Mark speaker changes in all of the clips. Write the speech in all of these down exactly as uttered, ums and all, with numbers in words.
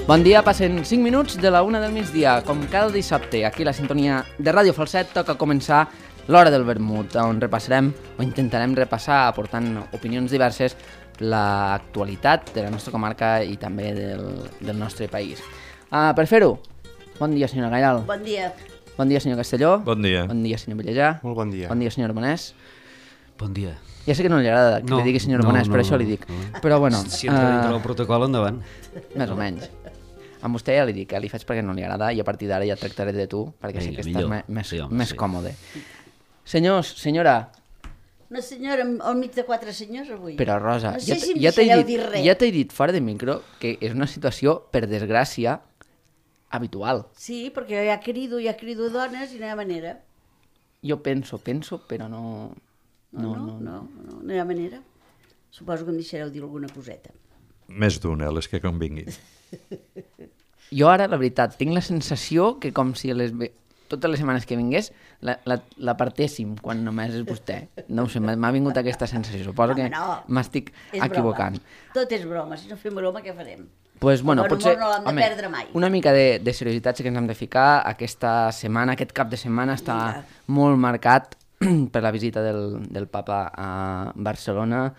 Speaker 1: Bon dia, passen cinc minuts de la una del migdia. Com cada dissabte, aquí a la sintonia de Ràdio Falset toca començar l'Hora del Vermut, on repassarem o intentarem repassar, aportant opinions diverses, l'actualitat de la nostra comarca i també del, del nostre país. Uh, per fer-ho, bon dia, senyora Gairal.
Speaker 2: Bon dia.
Speaker 1: Bon dia, senyor Castelló.
Speaker 3: Bon dia.
Speaker 1: Bon dia, senyor Villajà.
Speaker 4: Molt bon dia.
Speaker 1: Bon dia, senyor Bonès.
Speaker 5: Bon dia.
Speaker 1: Ja sé que no li agrada que
Speaker 5: no,
Speaker 1: li digui senyor
Speaker 5: no,
Speaker 1: Bonès,
Speaker 5: no,
Speaker 1: per això
Speaker 5: no,
Speaker 1: li dic.
Speaker 5: no.
Speaker 1: Però bueno...
Speaker 5: Si entra dintre del protocol, endavant.
Speaker 1: Més o menys. Amb vostè ja li dic, eh? Li faig perquè no li agrada i a partir d'ara ja tractaré de tu, perquè sí que estàs me, més,
Speaker 5: sí, home,
Speaker 1: més
Speaker 5: sí.
Speaker 1: còmode. Senyors, senyora...
Speaker 2: Una senyora al mig de quatre senyors avui.
Speaker 1: Però Rosa,
Speaker 2: no sé
Speaker 1: ja,
Speaker 2: si em
Speaker 1: ja t'he
Speaker 2: deixareu
Speaker 1: dit,
Speaker 2: dir res.
Speaker 1: ja t'he dit fora de micro que és una situació, per desgràcia, habitual.
Speaker 2: Sí, perquè ja crido, ja crido dones i no hi ha manera.
Speaker 1: Jo penso, penso, però no...
Speaker 2: No, no, no, no, no, no hi ha manera. Suposo que em deixareu dir alguna coseta.
Speaker 3: Més d'una, les que convinguin.
Speaker 1: Jo ara, la veritat, tinc la sensació que com si les ve... totes les setmanes que vingués la, la, la partéssim quan només és vostè. No ho sé, m'ha vingut aquesta sensació. Suposo
Speaker 2: No,
Speaker 1: que
Speaker 2: no.
Speaker 1: m'estic
Speaker 2: És
Speaker 1: equivocant.
Speaker 2: broma. Tot és broma. Si no fem broma, què farem?
Speaker 1: Pues, bueno,
Speaker 2: El bon
Speaker 1: potser,
Speaker 2: humor no l'hem de
Speaker 1: home,
Speaker 2: perdre mai.
Speaker 1: una mica de, de seriositat sí que ens hem de ficar. Aquesta setmana, aquest cap de setmana està
Speaker 2: Mira.
Speaker 1: molt marcat per la visita del, del papa a Barcelona,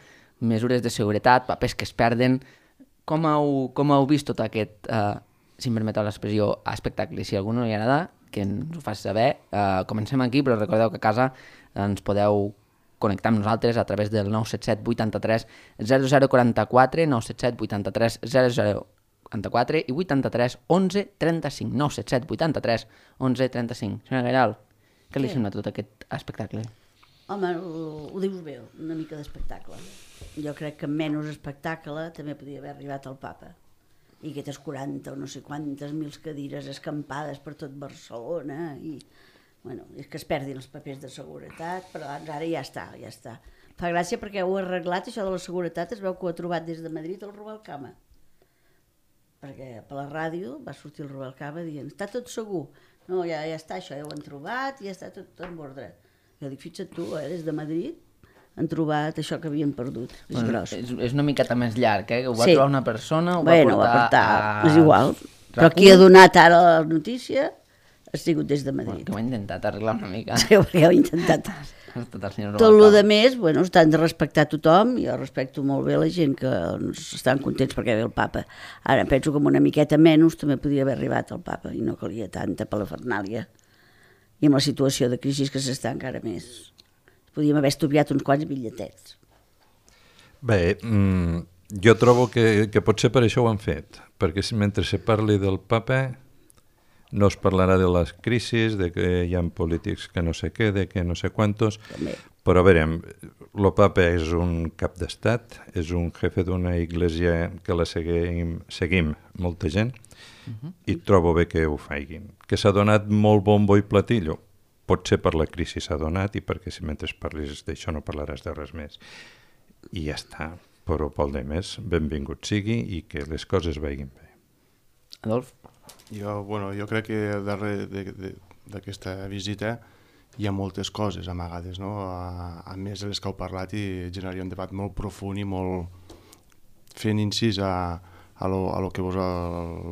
Speaker 1: mesures de seguretat, papers que es perden. Com heu, com heu vist tot aquest, eh, si em permeteu l'expressió, espectacle? Si a algú no li agrada, que ens ho faci saber. Uh, comencem aquí, però recordeu que a casa ens podeu connectar amb nosaltres a través del nou set set vuitanta-tres zero zero quaranta-quatre, nou set set vuitanta-tres zero zero quaranta-quatre i vuitanta-tres onze trenta-cinc, nou set set vuitanta-tres onze trenta-cinc. Senyora Gairal, què li
Speaker 2: Què?
Speaker 1: sembla tot aquest espectacle?
Speaker 2: Home, ho, ho dius bé, una mica d'espectacle. Jo crec que menys espectacle també podia haver arribat al papa. I aquestes quaranta o no sé quantes mil cadires escampades per tot Barcelona i, bueno, és que es perdin els papers de seguretat, però doncs ara ja està, ja està. Fa gràcia perquè ho ha arreglat, això de la seguretat, es veu que ho ha trobat des de Madrid el Rubalcaba. Perquè per la ràdio va sortir el Rubalcaba dient, està tot segur. No, ja, ja està això, ja ho han trobat, ja està tot en ordre. Jo dic, fixa't tu, eh, des de Madrid han trobat això que havien perdut, és
Speaker 1: Bueno,
Speaker 2: gros.
Speaker 1: és, és una miqueta més llarg, eh? Ho va
Speaker 2: Sí.
Speaker 1: trobar una persona, ho
Speaker 2: Bueno,
Speaker 1: va portar,
Speaker 2: a...
Speaker 1: a...
Speaker 2: és igual. Però qui ha donat ara la notícia ha sigut des de
Speaker 1: Bueno,
Speaker 2: Madrid.
Speaker 1: que ho ha intentat arreglar una mica.
Speaker 2: Sí, perquè ho he intentat.
Speaker 1: Tot el senyor
Speaker 2: Tot el
Speaker 1: Rubalcaba.
Speaker 2: de més, bueno, estan de respectar tothom, jo respecto molt bé la gent que doncs, estan contents perquè ve el papa. Ara penso que amb una miqueta menys també podia haver arribat el papa i no calia tanta palafernàlia. I amb la situació de crisi que s'està encara més. Podíem haver estudiat uns quants bitlletets.
Speaker 3: Bé, mm, jo trobo que, que potser per això ho han fet, perquè si mentre se parli del papa no es parlarà de les crisis, de que hi ha polítics que no sé què, de que no sé quantos,
Speaker 2: També.
Speaker 3: però a veure, el papa és un cap d'estat, és un jefe d'una església que la seguim, seguim molta gent, uh-huh. i trobo bé que ho faiguin. Que s'ha donat molt bombo i platillo, potser per la crisi s'ha donat i perquè si mentre parlis d'això no parlaràs de res més. I ja està, però pel de més, benvingut sigui i que les coses vagin bé.
Speaker 1: Adolf?
Speaker 4: Jo, bueno, jo crec que darrere d'aquesta visita hi ha moltes coses amagades, no? A, a més de les que heu parlat i generaria un debat molt profund i molt fent incís a, a, lo, a lo, que vos, a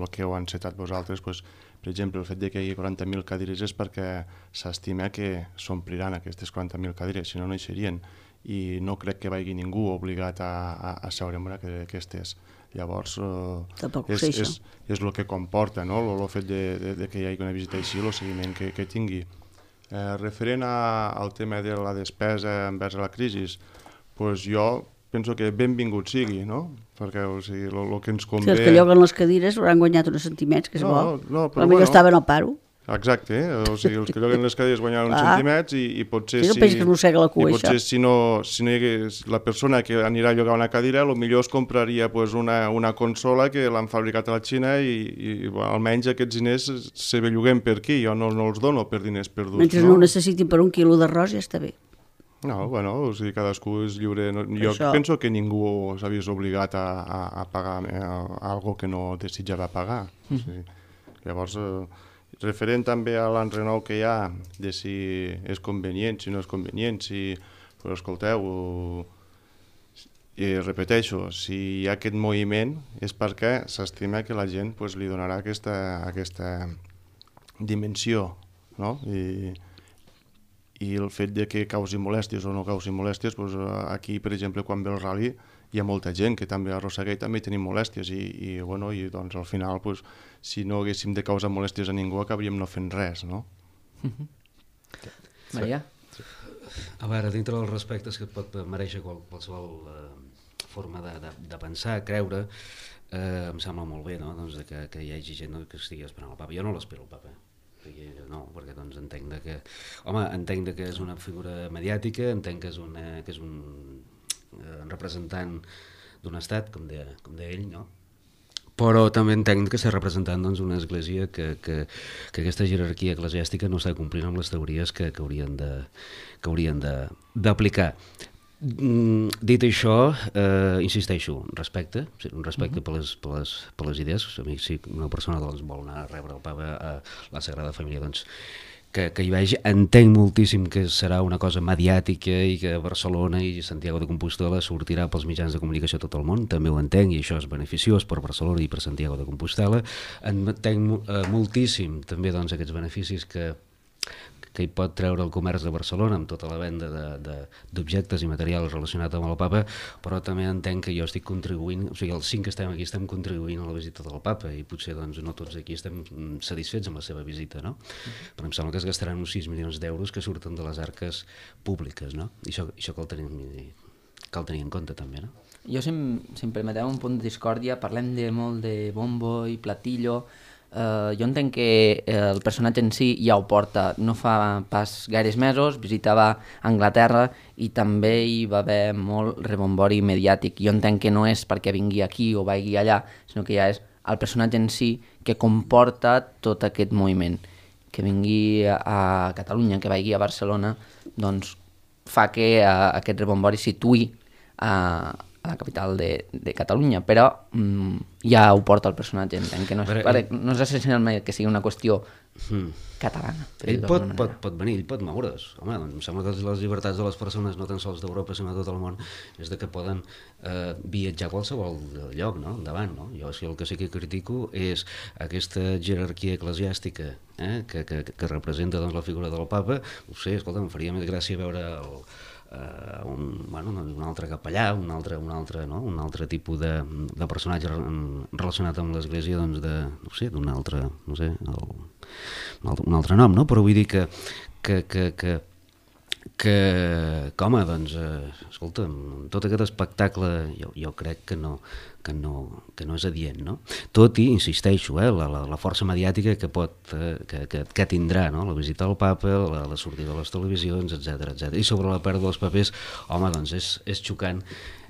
Speaker 4: lo que heu encetat vosaltres. Pues, per exemple, el fet de que hi hagi quaranta mil cadires és perquè s'estima que s'ompliran aquestes quaranta mil cadires, si no, no hi serien. I no crec que vagi ningú obligat a, a, a seure en una d'aquestes. Llavors, eh, és, és, és el que comporta, no? el, el fet de, de, de que hi hagi una visita així, el seguiment que, que tingui. Eh, referent a, al tema de la despesa envers la crisi, pues jo penso que benvingut sigui, no? Perquè o sigui, el que ens convé...
Speaker 2: Si els que lloguen les cadires hauran guanyat uns centimets, que és
Speaker 4: no,
Speaker 2: bo.
Speaker 4: No, però
Speaker 2: potser
Speaker 4: bueno,
Speaker 2: estaven al paro.
Speaker 4: Exacte, eh? O sigui, els que lloguen les cadires guanyaran uns
Speaker 2: Ah.
Speaker 4: centimets i, i potser
Speaker 2: Sí, no
Speaker 4: si...
Speaker 2: pensis que es mossega la cua,
Speaker 4: i potser
Speaker 2: això.
Speaker 4: si no, si no hi hagués la persona que anirà a llogar una cadira, potser es compraria pues, una, una consola que l'han fabricat a la Xina i, i bueno, almenys aquests diners se belluguem per aquí, jo no, no els dono per diners perduts.
Speaker 2: Mentre no ho necessitin per un quilo d'arròs ja està bé.
Speaker 4: No, bueno, o sigui, cadascú és lliure. No, jo
Speaker 2: Això.
Speaker 4: penso que ningú s'havia obligat a, a, a pagar eh, algo que no desitjava pagar. Mm. O sigui, llavors, eh, referent també a l'enrenou que hi ha, de si és convenient, si no és convenient, si... Però escolteu, i repeteixo, si hi ha aquest moviment és perquè s'estima que la gent pues, li donarà aquesta, aquesta dimensió, no? I, i el fet de que causi molèsties o no causi molèsties, doncs aquí, per exemple, quan ve el rally, hi ha molta gent que també arrossega i també tenim molèsties i, i, bueno, i doncs, al final, doncs, si no haguéssim de causar molèsties a ningú, acabaríem no fent res, no?
Speaker 1: Maria?
Speaker 5: A veure, dintre dels respectes que pot mereixer qual, qualsevol eh, forma de, de, de pensar, creure, eh, em sembla molt bé, no? Doncs de que, que hi hagi gent que estigui esperant el papa. Jo no l'espero, el papa. No, perquè doncs entenc de que, home, entenc de que és una figura mediàtica, entenc que és, una, que és un eh, representant d'un estat, com deia, com deia ell, no? Però també entenc que està representant doncs, una església que, que, que aquesta jerarquia eclesiàstica no està complint amb les teories que, que haurien de, que haurien de, d'aplicar. Mm, dit això, eh, insisteixo, respecte, sí, un respecte uh-huh. per, les, per, les, per les idees. A mi, si una persona doncs, vol anar a rebre el papa a la Sagrada Família, doncs, que, que hi vagi. Entenc moltíssim que serà una cosa mediàtica i que Barcelona i Santiago de Compostela sortirà pels mitjans de comunicació a tot el món, també ho entenc, i això és beneficiós per Barcelona i per Santiago de Compostela. Entenc eh, moltíssim també doncs, aquests beneficis que que hi pot treure el comerç de Barcelona amb tota la venda d'objectes i materials relacionats amb el papa, però també entenc que jo estic contribuint, o sigui, els cinc que estem aquí estem contribuint a la visita del papa i potser doncs, no tots aquí estem satisfets amb la seva visita, no? Uh-huh. Però em sembla que es gastaran uns sis milions d'euros que surten de les arques públiques, no? I això, això cal, tenir, cal tenir en compte també, no?
Speaker 1: Jo, si em, si em permeteu un punt de discòrdia, parlem de molt de bombo i platillo. Uh, jo entenc que el personatge en si ja ho porta, no fa pas gaires mesos, visitava Anglaterra i també hi va haver molt rebombori mediàtic. Jo entenc que no és perquè vingui aquí o vagi allà, sinó que ja és el personatge en si que comporta tot aquest moviment. Que vingui a Catalunya, que vagi a Barcelona, doncs fa que uh, aquest rebombori situï a, a la capital de, de Catalunya, però mm, ja ho porta el personatge, entenc que no és,
Speaker 5: Però,
Speaker 1: pare, no és essencialment que sigui una qüestió mm. catalana.
Speaker 5: Ell pot, pot, pot venir, ell pot moure's. Home, doncs em sembla que les llibertats de les persones, no tan sols d'Europa, sinó de tot el món, és de que poden eh, viatjar a qualsevol lloc, no? Endavant, no? Jo el que sí que critico és aquesta jerarquia eclesiàstica eh, que, que, que representa doncs, la figura del papa. No sé, escolta, em faria més gràcia veure el Uh, un, bueno, un altre capellà, un altre, un altre, no? un altre tipus de, de personatge relacionat amb l'església, doncs de, no sé, d'un altre, no sé, el, un, altre, un altre nom, no? Però vull dir que, que, que, que, que, que home, doncs, eh, escolta, tot aquest espectacle jo, jo crec que no, que no, que no és adient, no? Tot i, insisteixo, eh, la, la, la força mediàtica que pot, eh, que, que, que tindrà, no? La visita al papa, la, la sortida de les televisions, etcètera, etcètera. I sobre la pèrdua dels papers, home, doncs és, és xocant.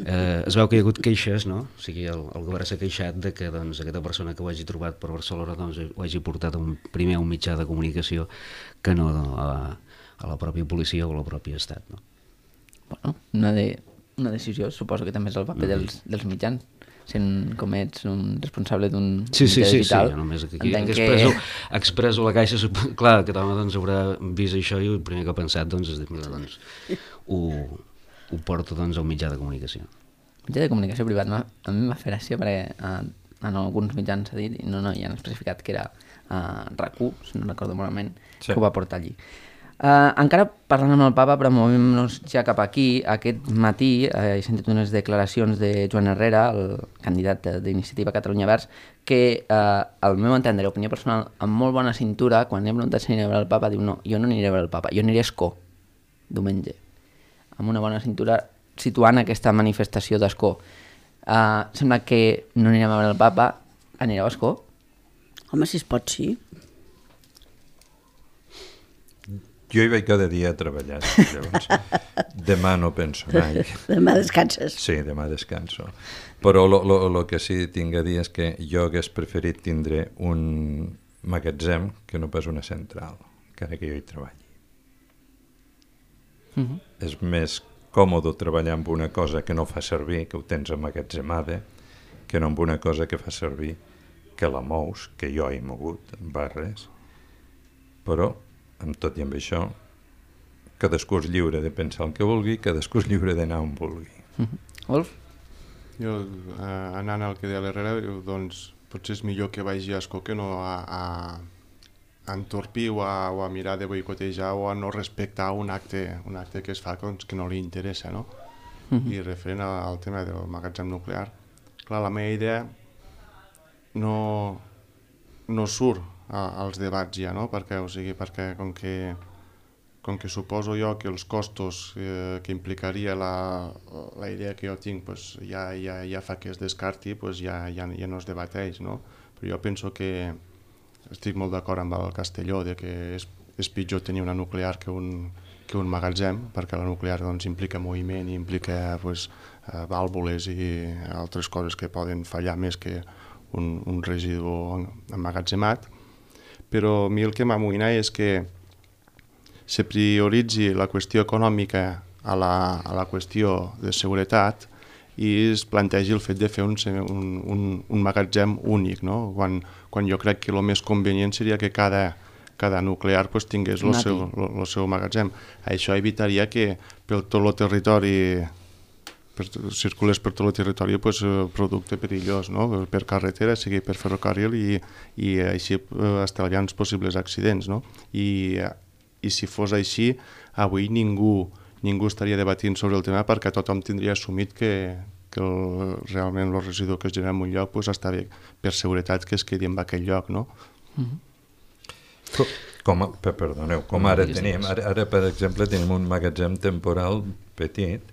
Speaker 5: Eh, es veu que hi ha hagut queixes, no? O sigui, el, el govern s'ha queixat de que doncs, aquesta persona que ho hagi trobat per Barcelona doncs, ho hagi portat un, primer a un mitjà de comunicació que no a, a la pròpia policia o a la pròpia estat, no?
Speaker 1: Bueno, una, de, una decisió, suposo que també és el paper mm. dels, dels mitjans. Sent com ets un responsable d'un
Speaker 5: sí, sí,
Speaker 1: mitjà
Speaker 5: sí,
Speaker 1: digital.
Speaker 5: Sí, sí, només aquí, aquí expresso, que... expresso la caixa, clar, que home doncs, haurà vist això i el primer que ha pensat doncs, és dir, mira, doncs, ho, ho porto doncs, a un mitjà de comunicació.
Speaker 1: Mitjà de comunicació privat, a mi m'ha fet gràcia perquè uh, en alguns mitjans s'ha dit, i no, no, ja han especificat que era uh, RAC u, si no recordo malament, sí. Que ho va portar allí. Uh, encara parlant amb el papa, però movem-nos ja cap aquí. Aquest matí uh, he sentit unes declaracions de Joan Herrera, el candidat d'Iniciativa Catalunya Verds, que uh, al meu entendre, opinió personal, amb molt bona cintura, quan li he preguntat si aniré a veure el papa, diu no, jo no aniré a veure el papa, jo aniré a Escó, diumenge, amb una bona cintura, situant aquesta manifestació d'Escó. Uh, sembla que no anirem a veure el papa, anireu a Escó?
Speaker 2: Home, si es pot, sí.
Speaker 3: Jo hi vaig cada dia a treballar, llavors demà no penso mai.
Speaker 2: Demà descanses.
Speaker 3: Sí, demà descanso. Però el que sí tinc a dir és que jo hagués preferit tindre un magatzem que no pas una central, encara que jo hi treballi. Mm-hmm. És més còmode treballar amb una cosa que no fa servir, que ho tens emmagatzemada, que no amb una cosa que fa servir, que la mous, que jo he mogut, en barres, però amb tot i amb això, cadascú és lliure de pensar el que vulgui, cadascú és lliure d'anar on vulgui.
Speaker 1: Mm-hmm. Wolf?
Speaker 4: Jo, eh, anant al que deia l'Herrera, doncs potser és millor que vagi a escó que no a, a, a entorpir o a, o a mirar de boicotejar o a no respectar un acte, un acte que es fa doncs, que no li interessa, no? Mm-hmm. I referent al tema del magatzem nuclear, clar, la meva idea no, no surt a, als debats ja, no? Perquè, o sigui, perquè com que com que suposo jo que els costos eh, que implicaria la, la idea que jo tinc pues, ja, ja, ja fa que es descarti, pues ja, ja, ja no es debateix, no? Però jo penso que estic molt d'acord amb el Castelló de que és, és pitjor tenir una nuclear que un, que un magatzem, perquè la nuclear doncs, implica moviment i implica pues, eh, vàlvules i altres coses que poden fallar més que un, un residu emmagatzemat. Però a mi el que m'amoïna és que se prioritzi la qüestió econòmica a la, a la qüestió de seguretat i es plantegi el fet de fer un, un, un, un magatzem únic, no? quan, quan jo crec que el més convenient seria que cada, cada nuclear pues, tingués el seu, el seu magatzem. Això evitaria que per tot el territori per, circulés per tot el territori pues, producte perillós, no? Per carretera, sigui per ferrocarril i, i així estalviant els possibles accidents. No? I I si fos així, avui ningú, ningú estaria debatint sobre el tema perquè tothom tindria assumit que, que el, realment el residu que es genera en un lloc pues, està bé per seguretat que es quedi en aquell lloc. No?
Speaker 3: Mm-hmm. Com, perdoneu, com ara tenim, ara, ara per exemple tenim un magatzem temporal petit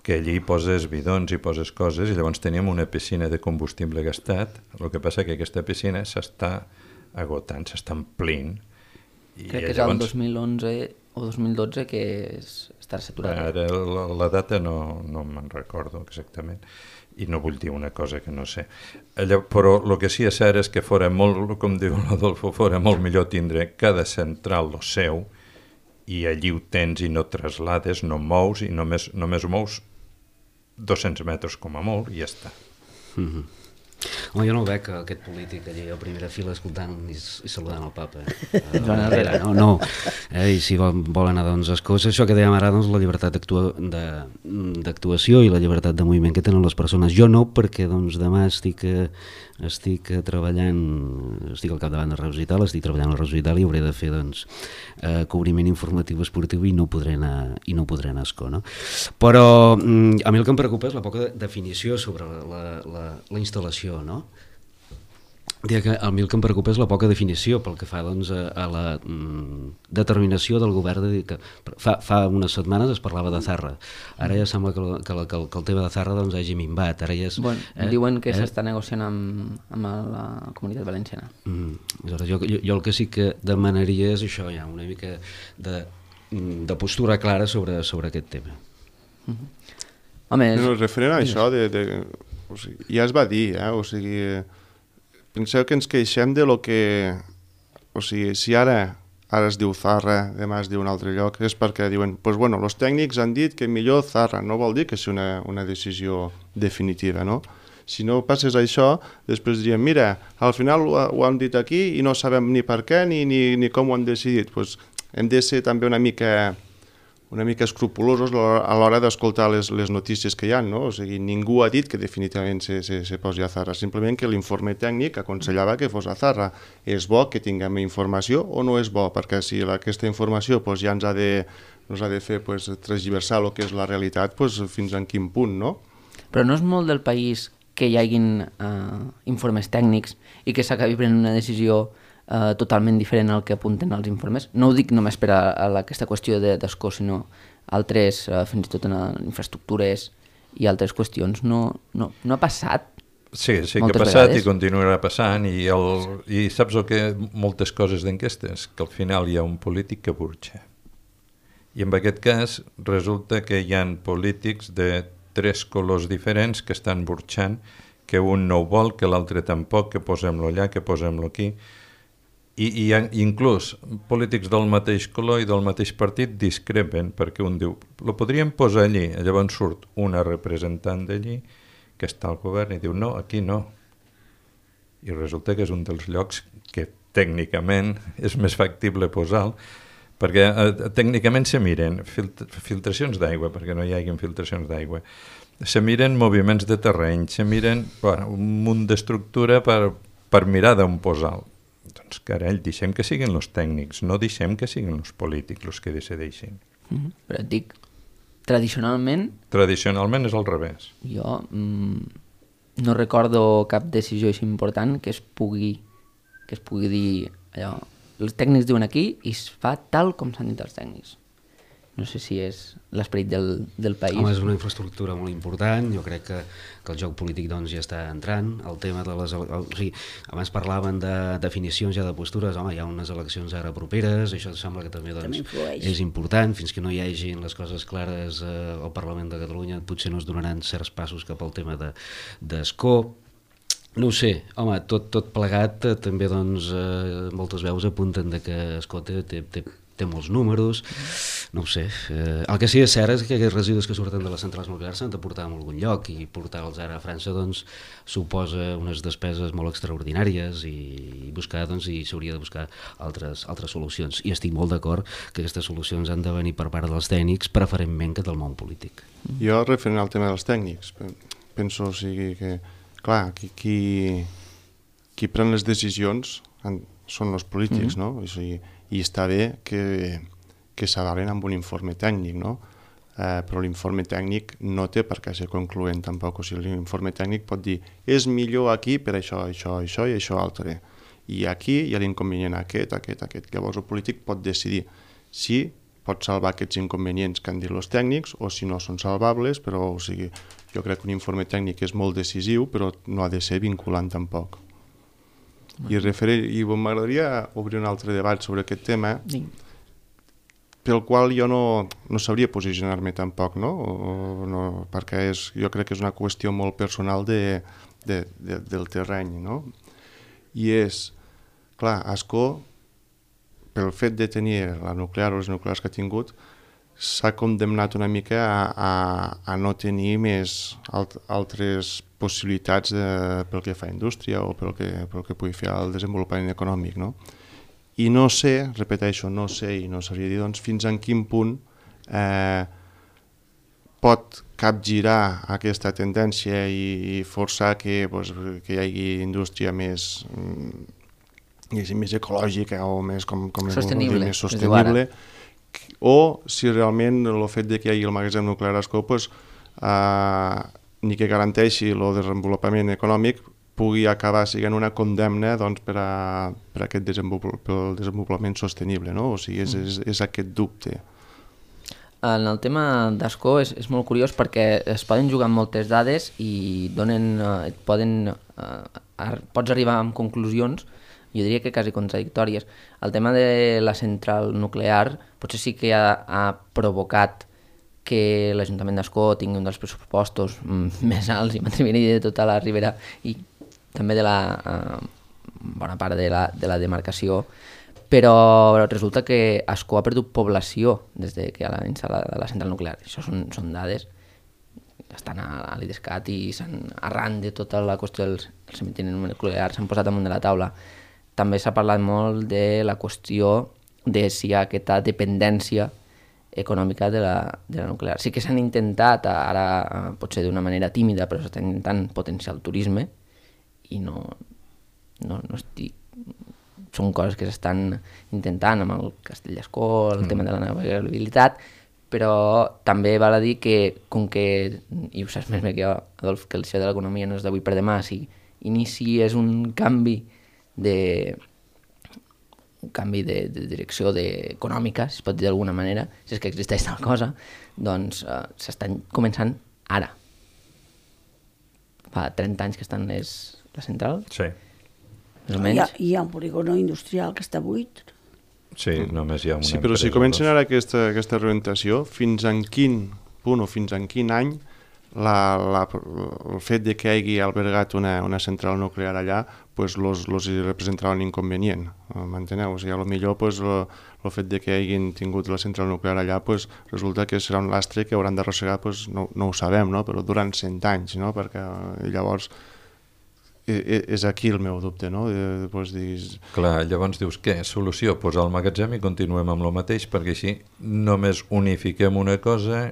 Speaker 3: que allí poses bidons i poses coses i llavors teníem una piscina de combustible gastat, el que passa que aquesta piscina s'està agotant, s'està omplint.
Speaker 1: I crec que és llavors, el dos mil onze o dos mil dotze que és, està saturat.
Speaker 3: Ara la, la data no, no me'n recordo exactament i no vull dir una cosa que no sé. Allà, però el que sí és cert és que fora molt, com diu l'Adolfo, fora molt millor tindre cada central lo seu i allí ho tens i no traslades, no mous i només, només ho mous dos-cents metres com a molt i ja està.
Speaker 5: Mm-hmm. Home, jo no ho veig, aquest polític allà a primera fila escoltant i, i saludant el papa. Eh? Darrere, no, no. Eh? I si vol, vol anar doncs, a coses, això que dèiem ara, doncs, la llibertat d'actuació i la llibertat de moviment que tenen les persones. Jo no, perquè doncs, demà estic, estic treballant, estic al capdavant de Reus i tal, estic treballant a Reus i tal i hauré de fer doncs, eh, cobriment informatiu esportiu i no podré anar, i no podré anar a escó. No? Però mm, a mi el que em preocupa és la poca definició sobre la, la, la, la instal·lació. No? Que a mi el que em preocupa és la poca definició pel que fa doncs, a, a la mm, determinació del govern de dir que fa, fa unes setmanes es parlava de Zarra, ara ja sembla que, la, que, la, que, el, que el tema de Zarra doncs, hagi minvat. Ara ja és,
Speaker 1: bueno,
Speaker 5: eh,
Speaker 1: diuen que
Speaker 5: eh?
Speaker 1: s'està negociant amb, amb la Comunitat Valenciana.
Speaker 5: Mm, jo, jo, jo el que sí que demanaria és això, ja, una mica de, de postura clara sobre, sobre aquest tema.
Speaker 1: Mm-hmm. Home, és...
Speaker 4: no, referent a això de, de, o sigui, ja es va dir, eh? O sigui, penseu que ens queixem de lo que... O sigui, si ara, ara es diu Zarra, demà es diu un altre lloc, és perquè diuen, pues bueno, els tècnics han dit que millor Zarra, no vol dir que sigui una, una decisió definitiva, no? Si no passés això, després diríem, mira, al final ho, ho han dit aquí i no sabem ni per què ni, ni, ni com ho han decidit. Pues hem de ser també una mica... una mica escrupulosos a l'hora d'escoltar les, les notícies que hi ha, no? O sigui, ningú ha dit que definitivament se, se, se posi a Zarra, simplement que l'informe tècnic aconsellava que fos a Zarra. És bo que tinguem informació o no és bo? Perquè si la, aquesta informació pues, ja ens ha de, ens ha de fer pues, transversar el que és la realitat, pues, fins en quin punt, no?
Speaker 1: Però no és molt del país que hi hagin eh, informes tècnics i que s'acabi prenent una decisió Uh, totalment diferent al que apunten els informes. No ho dic només per a, a aquesta qüestió d'escó, sinó altres, uh, fins i tot en infraestructures i altres qüestions. No, no, no ha passat?
Speaker 3: Sí, sí que ha passat vegades. I continuarà passant i, el, i saps el que moltes coses d'enquestes? Que al final hi ha un polític que burxa. I en aquest cas resulta que hi ha polítics de tres colors diferents que estan burxant, que un no ho vol, que l'altre tampoc, que posem-lo allà, que posem-lo aquí. I, i inclús polítics del mateix color i del mateix partit discrepen perquè un diu, lo podríem posar allí, llavors surt una representant d'allí que està al govern i diu, no, aquí no. I resulta que és un dels llocs que tècnicament és més factible posar-lo, perquè eh, tècnicament se miren filt filtracions d'aigua, perquè no hi hagi filtracions d'aigua, se miren moviments de terreny, se miren bueno, un munt d'estructura per, per mirar d'on posar-lo. Doncs, carall, deixem que siguin els tècnics, no deixem que siguin els polítics els que decideixin.
Speaker 1: Mm-hmm. Però et dic, tradicionalment...
Speaker 3: Tradicionalment és al revés.
Speaker 1: Jo mm, no recordo cap decisió així important que es pugui, que es pugui dir allò, els tècnics diuen aquí i es fa tal com s'han dit els tècnics. No sé si és l'esperit del, del país.
Speaker 5: Home, és una infraestructura molt important, jo crec que, que el joc polític doncs, ja està entrant, el tema de les... El, o sigui, abans parlaven de definicions ja de postures, home, hi ha unes eleccions ara properes, això sembla que també, doncs,
Speaker 2: també
Speaker 5: és important, fins que no hi hagin les coses clares eh, al Parlament de Catalunya potser no es donaran certs passos cap al tema de, d'escó. No ho sé, home, tot, tot plegat eh, també doncs, eh, moltes veus apunten de que Escó té, té, té, té molts números, no ho sé. Eh, el que sí és cert és que aquests residus que surten de les centrals nuclears s'han de portar a algun lloc i portar-los ara a França doncs, suposa unes despeses molt extraordinàries i, i buscar doncs, i s'hauria de buscar altres, altres solucions. I estic molt d'acord que aquestes solucions han de venir per part dels tècnics, preferentment que del món polític.
Speaker 4: Jo, referent al tema dels tècnics, penso o sigui, que clar, qui, qui, qui pren les decisions són els polítics, mm-hmm. no? O sigui, i està bé que, que s'avalen amb un informe tècnic, no? Eh, però l'informe tècnic no té per què ser concloent tampoc. O sigui, l'informe tècnic pot dir és millor aquí per això, això, això i això altre. I aquí hi ha l'inconvenient aquest, aquest, aquest. Llavors el polític pot decidir si pot salvar aquests inconvenients que han dit els tècnics o si no són salvables, però o sigui, jo crec que un informe tècnic és molt decisiu, però no ha de ser vinculant tampoc. I, referir, i m'agradaria obrir un altre debat sobre aquest tema, sí. pel qual jo no, no sabria posicionar-me tampoc, no? O, no? Perquè és, jo crec que és una qüestió molt personal de, de, de, del terreny, no? I és, clar, Ascó, pel fet de tenir la nuclear o les nuclears que ha tingut, s'ha condemnat una mica a, a, a no tenir més alt, altres possibilitats de, pel que fa a indústria o pel que, pel que pugui fer el desenvolupament econòmic, no? I no sé, repeteixo, no sé i no sabria dir doncs, fins en quin punt eh, pot capgirar aquesta tendència i, i forçar que, doncs, que hi hagi indústria més, més ecològica o més, com, com
Speaker 1: sostenible,
Speaker 4: dir, més sostenible o si realment el fet de que hi hagi el magatzem nuclear a Ascó pues, eh, ni que garanteixi el desenvolupament econòmic pugui acabar sent una condemna doncs, per, a, per a aquest desenvolupament, pel desenvolupament sostenible, no? O sigui, és, és, és aquest dubte.
Speaker 1: En el tema d'Ascó és, és molt curiós perquè es poden jugar amb moltes dades i donen, eh, poden, eh, pots arribar a conclusions, jo diria que quasi contradictòries. El tema de la central nuclear potser sí que ha, ha provocat que l'Ajuntament d'Ascó tingui un dels pressupostos més alts i m'atreviria de tota la Ribera i també de la eh, bona part de la, de la demarcació, però resulta que Ascó ha perdut població des de que ha instal·lat la central nuclear. Això són, són dades que estan a, a l'IDESCAT i s'han, arran de tota la qüestió dels cementeris nuclears s'han posat damunt de la taula. També s'ha parlat molt de la qüestió de si hi ha aquesta dependència econòmica de la, de la nuclear. Sí que s'han intentat, ara potser d'una manera tímida, però s'està intentant potenciar el turisme i no, no, no estic... Són coses que s'estan intentant amb el Castell d'Ascó, el mm. tema de la navegabilitat, però també val a dir que, com que, i ho saps més bé que jo, Adolf, que això de l'economia no és d'avui per demà, si inici és un canvi de un canvi de, de direcció de, econòmica, si es pot dir d'alguna manera, si és que existeix tal cosa, doncs eh, s'estan començant ara. Fa trenta anys que estan les, la central.
Speaker 3: Sí.
Speaker 1: Més o menys.
Speaker 2: Hi ha, hi ha un polígono industrial que està buit.
Speaker 3: Sí, només hi ha una
Speaker 4: Sí, però si comencen ara aquesta, aquesta reorientació, fins en quin punt o fins en quin any la, la, el fet de que hagi albergat una, una central nuclear allà pues los, los representarà un inconvenient, m'enteneu? O sigui, a lo millor pues, el, el fet de que hagin tingut la central nuclear allà pues, resulta que serà un lastre que hauran d'arrossegar, pues, no, no ho sabem, no? Però durant cent anys, no? Perquè llavors és aquí el meu dubte, no? De, pues, dis...
Speaker 3: Clar, llavors dius, què? Solució? Posar el magatzem i continuem amb el mateix, perquè així només unifiquem una cosa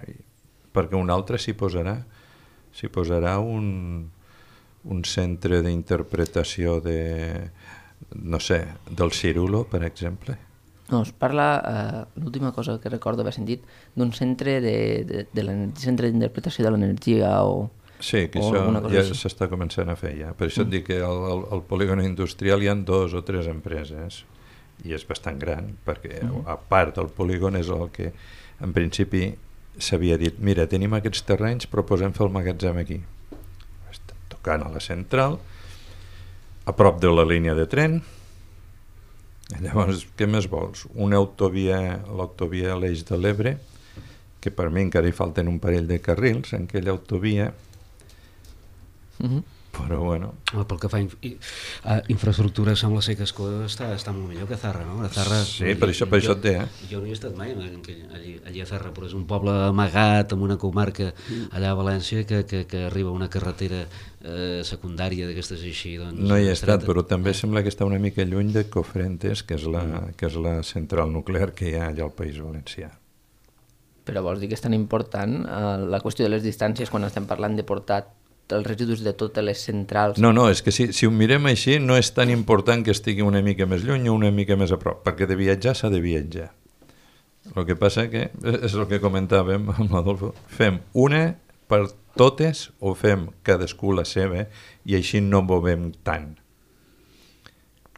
Speaker 3: perquè una altra s'hi posarà. s'hi posarà un, un centre d'interpretació de, no sé, del cirulo, per exemple.
Speaker 1: No, es parla, eh, l'última cosa que recordo haver sentit, d'un centre de, de, de l'energia, centre d'interpretació de l'energia o...
Speaker 3: Sí, que
Speaker 1: o
Speaker 3: això ja
Speaker 1: així.
Speaker 3: s'està començant a fer ja. Per això mm. et dic que al, al, al polígon industrial hi ha dos o tres empreses i és bastant gran, perquè mm. a part del polígon és el que en principi s'havia dit, mira, tenim aquests terrenys, proposem fer el magatzem aquí. Estem tocant a la central, a prop de la línia de tren. Llavors, què més vols? Una autovia, l'autovia a l'Eix de l'Ebre, que per mi encara hi falten un parell de carrils en aquella autovia,
Speaker 1: Mm-hmm.
Speaker 3: però bueno...
Speaker 5: Home, pel que fa a, in a infraestructura sembla ser que Escó està, està molt millor que Zarra, no? A Zarra,
Speaker 3: sí, per això, per
Speaker 5: jo,
Speaker 3: això et té, eh?
Speaker 5: Jo no hi he estat mai, allí, allí a Zarra, però és un poble amagat, en una comarca allà a València, que, que, que arriba una carretera eh, secundària d'aquestes així, doncs...
Speaker 3: No hi he estat, però també sembla que està una mica lluny de Cofrentes, que és la, que és la central nuclear que hi ha allà al País Valencià.
Speaker 1: Però vols dir que és tan important eh, la qüestió de les distàncies quan estem parlant de portar els residus de totes les centrals?
Speaker 3: No, no, és que si, si ho mirem així no és tan important que estigui una mica més lluny o una mica més a prop, perquè de viatjar s'ha de viatjar. El que passa que, és el que comentàvem amb l'Adolfo, fem una per totes o fem cadascú la seva i així no movem tant.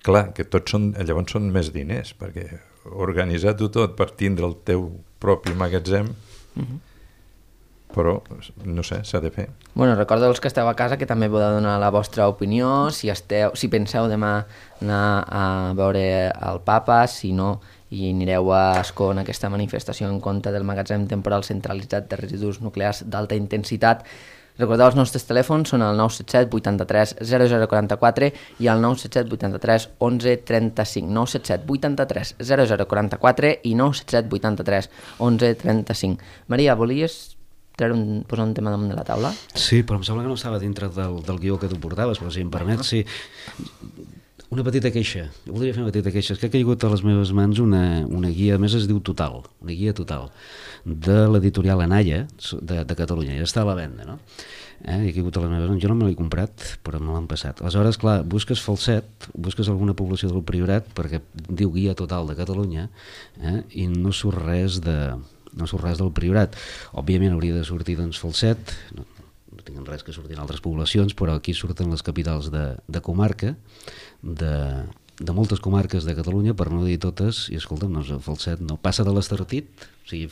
Speaker 3: Clar, que tots són, llavors són més diners, perquè organitzar-ho tot per tindre el teu propi magatzem, mm-hmm. però, no sé, s'ha de fer.
Speaker 1: Bueno, recordo els que esteu a casa que també podeu donar la vostra opinió, si, esteu, si penseu demà anar a veure el Papa, si no, i anireu a Escó en aquesta manifestació en contra del magatzem temporal centralitzat de residus nuclears d'alta intensitat. Recordeu, els nostres telèfons són el nou set set vuitanta-tres zero zero quaranta-quatre i el nou set set vuitanta-tres onze trenta-cinc. nou set set vuitanta-tres zero zero quaranta-quatre i nou set set vuitanta-tres onze trenta-cinc. Maria, volies treure un, posar un tema damunt de la taula?
Speaker 5: Sí, però em sembla que no estava dintre del, del guió que tu portaves, però si em permet, sí. Una petita queixa, jo voldria fer una petita queixa, és que ha caigut a les meves mans una, una guia, a més es diu Total, una guia Total, de l'editorial Anaya, de, de Catalunya, ja està a la venda, no? Eh, i ha caigut a les meves mans, jo no me l'he comprat, però me l'han passat. Aleshores, clar, busques Falset, busques alguna població del Priorat, perquè diu Guia Total de Catalunya, eh, i no surt res de... no surt res del Priorat. Òbviament hauria de sortir doncs Falset, no, no tinc res que surtin altres poblacions, però aquí surten les capitals de, de comarca, de, de moltes comarques de Catalunya, per no dir totes, i escolta'm, doncs Falset no passa de l'Estartit, o sigui,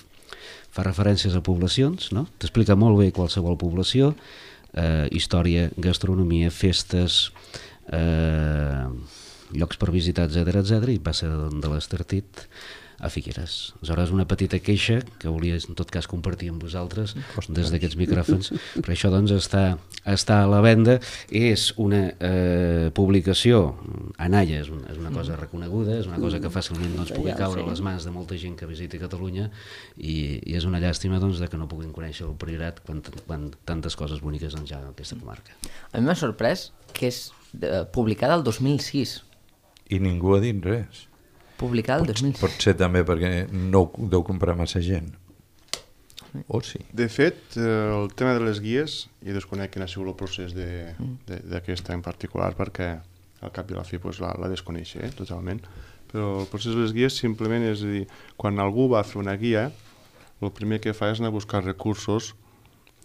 Speaker 5: fa referències a poblacions, no? T'explica molt bé qualsevol població, eh, història, gastronomia, festes, eh, llocs per visitar, etcètera, etcètera, i passa de, de l'Estartit a Figueres. Aleshores, una petita queixa que volia en tot cas compartir amb vosaltres des d'aquests micròfons, perquè això doncs està, està a la venda, és una eh, publicació, Anaya és una, és una cosa reconeguda, és una cosa que fàcilment doncs, pugui caure a les mans de molta gent que visiti Catalunya i, i és una llàstima doncs, de que no puguin conèixer el Priorat quan, quan tantes coses boniques doncs, hi ha en aquesta comarca.
Speaker 1: A mi m'ha sorprès que és eh, publicada el dos mil sis.
Speaker 3: I ningú ha dit res.
Speaker 1: Publicada el dos mil sis.
Speaker 3: Pot ser també perquè no ho deu comprar massa gent. O sí.
Speaker 4: De fet, el tema de les guies, jo desconec quin ha sigut el procés d'aquesta en particular, perquè al cap i a la fi pues, la, la desconeixo eh, totalment, però el procés de les guies simplement és a dir, quan algú va fer una guia, el primer que fa és anar a buscar recursos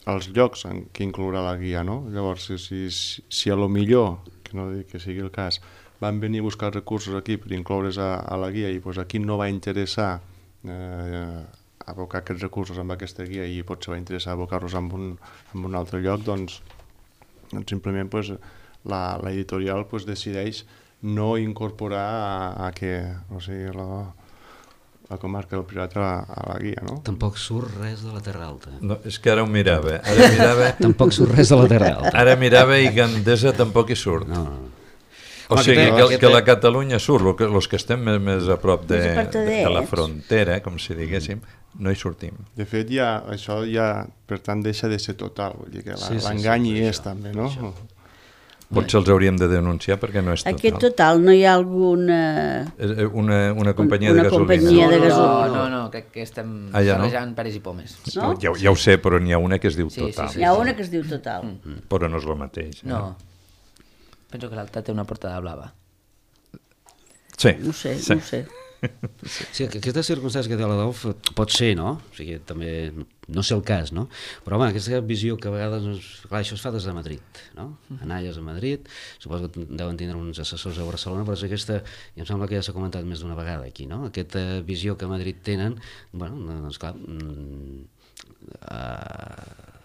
Speaker 4: als llocs en què inclourà la guia, no? Llavors, si, si, si a lo millor, que no dic que sigui el cas, van venir a buscar recursos aquí per incloure's a, a la guia i pues, aquí no va interessar eh, abocar aquests recursos amb aquesta guia i potser va interessar abocar-los en, un, en un altre lloc, doncs, doncs simplement pues, la, la editorial pues, decideix no incorporar a, a que o sigui, la, la comarca del Priorat a, a la guia, no?
Speaker 5: Tampoc surt res de la Terra Alta.
Speaker 3: No, és que ara ho mirava. Ara mirava...
Speaker 5: Tampoc surt res de la Terra Alta.
Speaker 3: Ara mirava i Gandesa tampoc hi surt.
Speaker 5: No, no.
Speaker 3: O sigui, que, que la Catalunya surt, els que estem més, més a prop de, de, de la frontera, com si diguéssim, no hi sortim.
Speaker 4: De fet, ja, això ja, per tant, deixa de ser total, vull dir que
Speaker 5: sí,
Speaker 4: l'engany
Speaker 5: sí, sí,
Speaker 4: hi és
Speaker 5: això,
Speaker 4: també, no?
Speaker 5: Això.
Speaker 3: Potser els hauríem de denunciar perquè no és total.
Speaker 2: Aquest total, no hi ha alguna...
Speaker 3: Una, una companyia
Speaker 2: una
Speaker 3: de gasolina.
Speaker 2: companyia de
Speaker 1: No,
Speaker 2: gasolina.
Speaker 1: no, no, crec que estem
Speaker 3: Ah, ja no?
Speaker 1: barrejant peres i pomes.
Speaker 2: No?
Speaker 3: Ja, ja ho sé, però n'hi ha una que es diu
Speaker 1: Sí, sí,
Speaker 3: total.
Speaker 1: sí.
Speaker 2: Hi ha una que es diu total.
Speaker 3: Mm. Però no és el mateix. Eh?
Speaker 1: No. Penso que l'altra té una portada blava.
Speaker 3: Sí.
Speaker 2: No sé,
Speaker 3: sí.
Speaker 2: no sé.
Speaker 5: Sí, que aquesta circumstància que té l'Adolf pot ser, no? O sigui, també no sé el cas, no? Però, home, aquesta visió que a vegades... Doncs, clar, això es fa des de Madrid, no? Analles a Madrid, suposo que deuen tindre uns assessors a Barcelona, però és aquesta, i em sembla que ja s'ha comentat més d'una vegada aquí, no? Aquesta visió que a Madrid tenen, bueno, doncs clar... Mm, uh,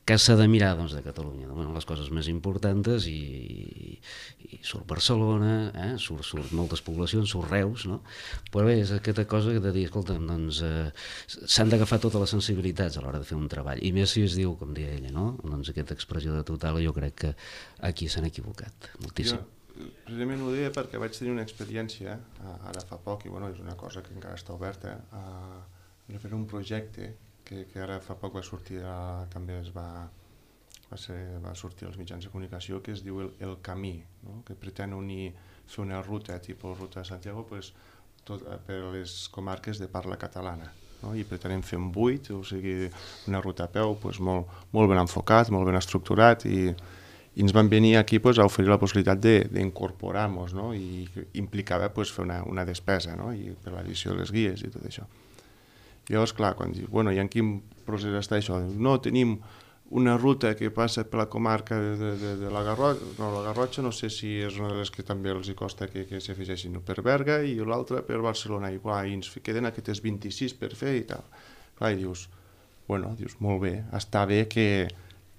Speaker 5: que s'ha de mirar doncs, de Catalunya, bueno, les coses més importants i, i surt Barcelona, eh? surt, surt moltes poblacions, surt Reus, no? Però bé, és aquesta cosa de dir, escolta, doncs eh, s'han d'agafar totes les sensibilitats a l'hora de fer un treball, i més si es diu, com deia ella, no? Doncs aquesta expressió de total, jo crec que aquí s'han equivocat moltíssim.
Speaker 4: Jo, precisament ho deia perquè vaig tenir una experiència, ara fa poc, i bueno, és una cosa que encara està oberta, a fer un projecte Que, que ara fa poc va sortir, a, també es va, va, ser, va sortir als mitjans de comunicació, que es diu El, el Camí, no? Que pretén unir, fer una ruta, tipus ruta de Santiago, pues, tot, per les comarques de parla catalana. No? I pretenem fer un buit, o sigui, una ruta a peu pues, molt, molt ben enfocat, molt ben estructurat, i, i ens van venir aquí pues, a oferir la possibilitat d'incorporar-nos, no? I implicava pues, fer una, una despesa, no? I per l'edició de les guies i tot això. I llavors, clar, quan dius, bueno, i en quin procés està això? No, tenim una ruta que passa per la comarca de, de, de, de la Garrotxa, no, la Garrotxa no sé si és una de les que també els hi costa que, que s'hi afegeixin, per Berga i l'altra per Barcelona, i, clar, i ens queden aquestes vint-i-sis per fer i tal. Clar, i dius, bueno, dius, molt bé, està bé que,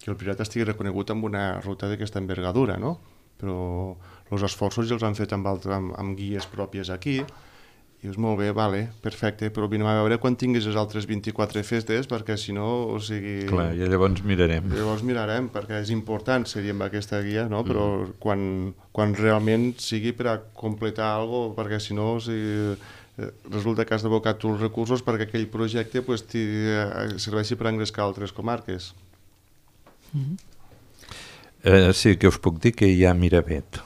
Speaker 4: que el Priorat estigui reconegut amb una ruta d'aquesta envergadura, no? Però els esforços ja els han fet amb, altre, amb, amb guies pròpies aquí. I dius, molt bé, vale, perfecte, però vinem a veure quan tinguis les altres vint-i-quatre festes, perquè si no, o sigui...
Speaker 3: Clar, i llavors mirarem.
Speaker 4: Llavors mirarem, perquè és important seguir amb aquesta guia, no? Però mm. quan, quan realment sigui per a completar alguna cosa, perquè si no, o sigui, resulta que has d'abocar tots els recursos perquè aquell projecte pues, serveixi per engrescar altres comarques.
Speaker 3: Mm-hmm. Eh, sí, que us puc dir que hi ha Miravet.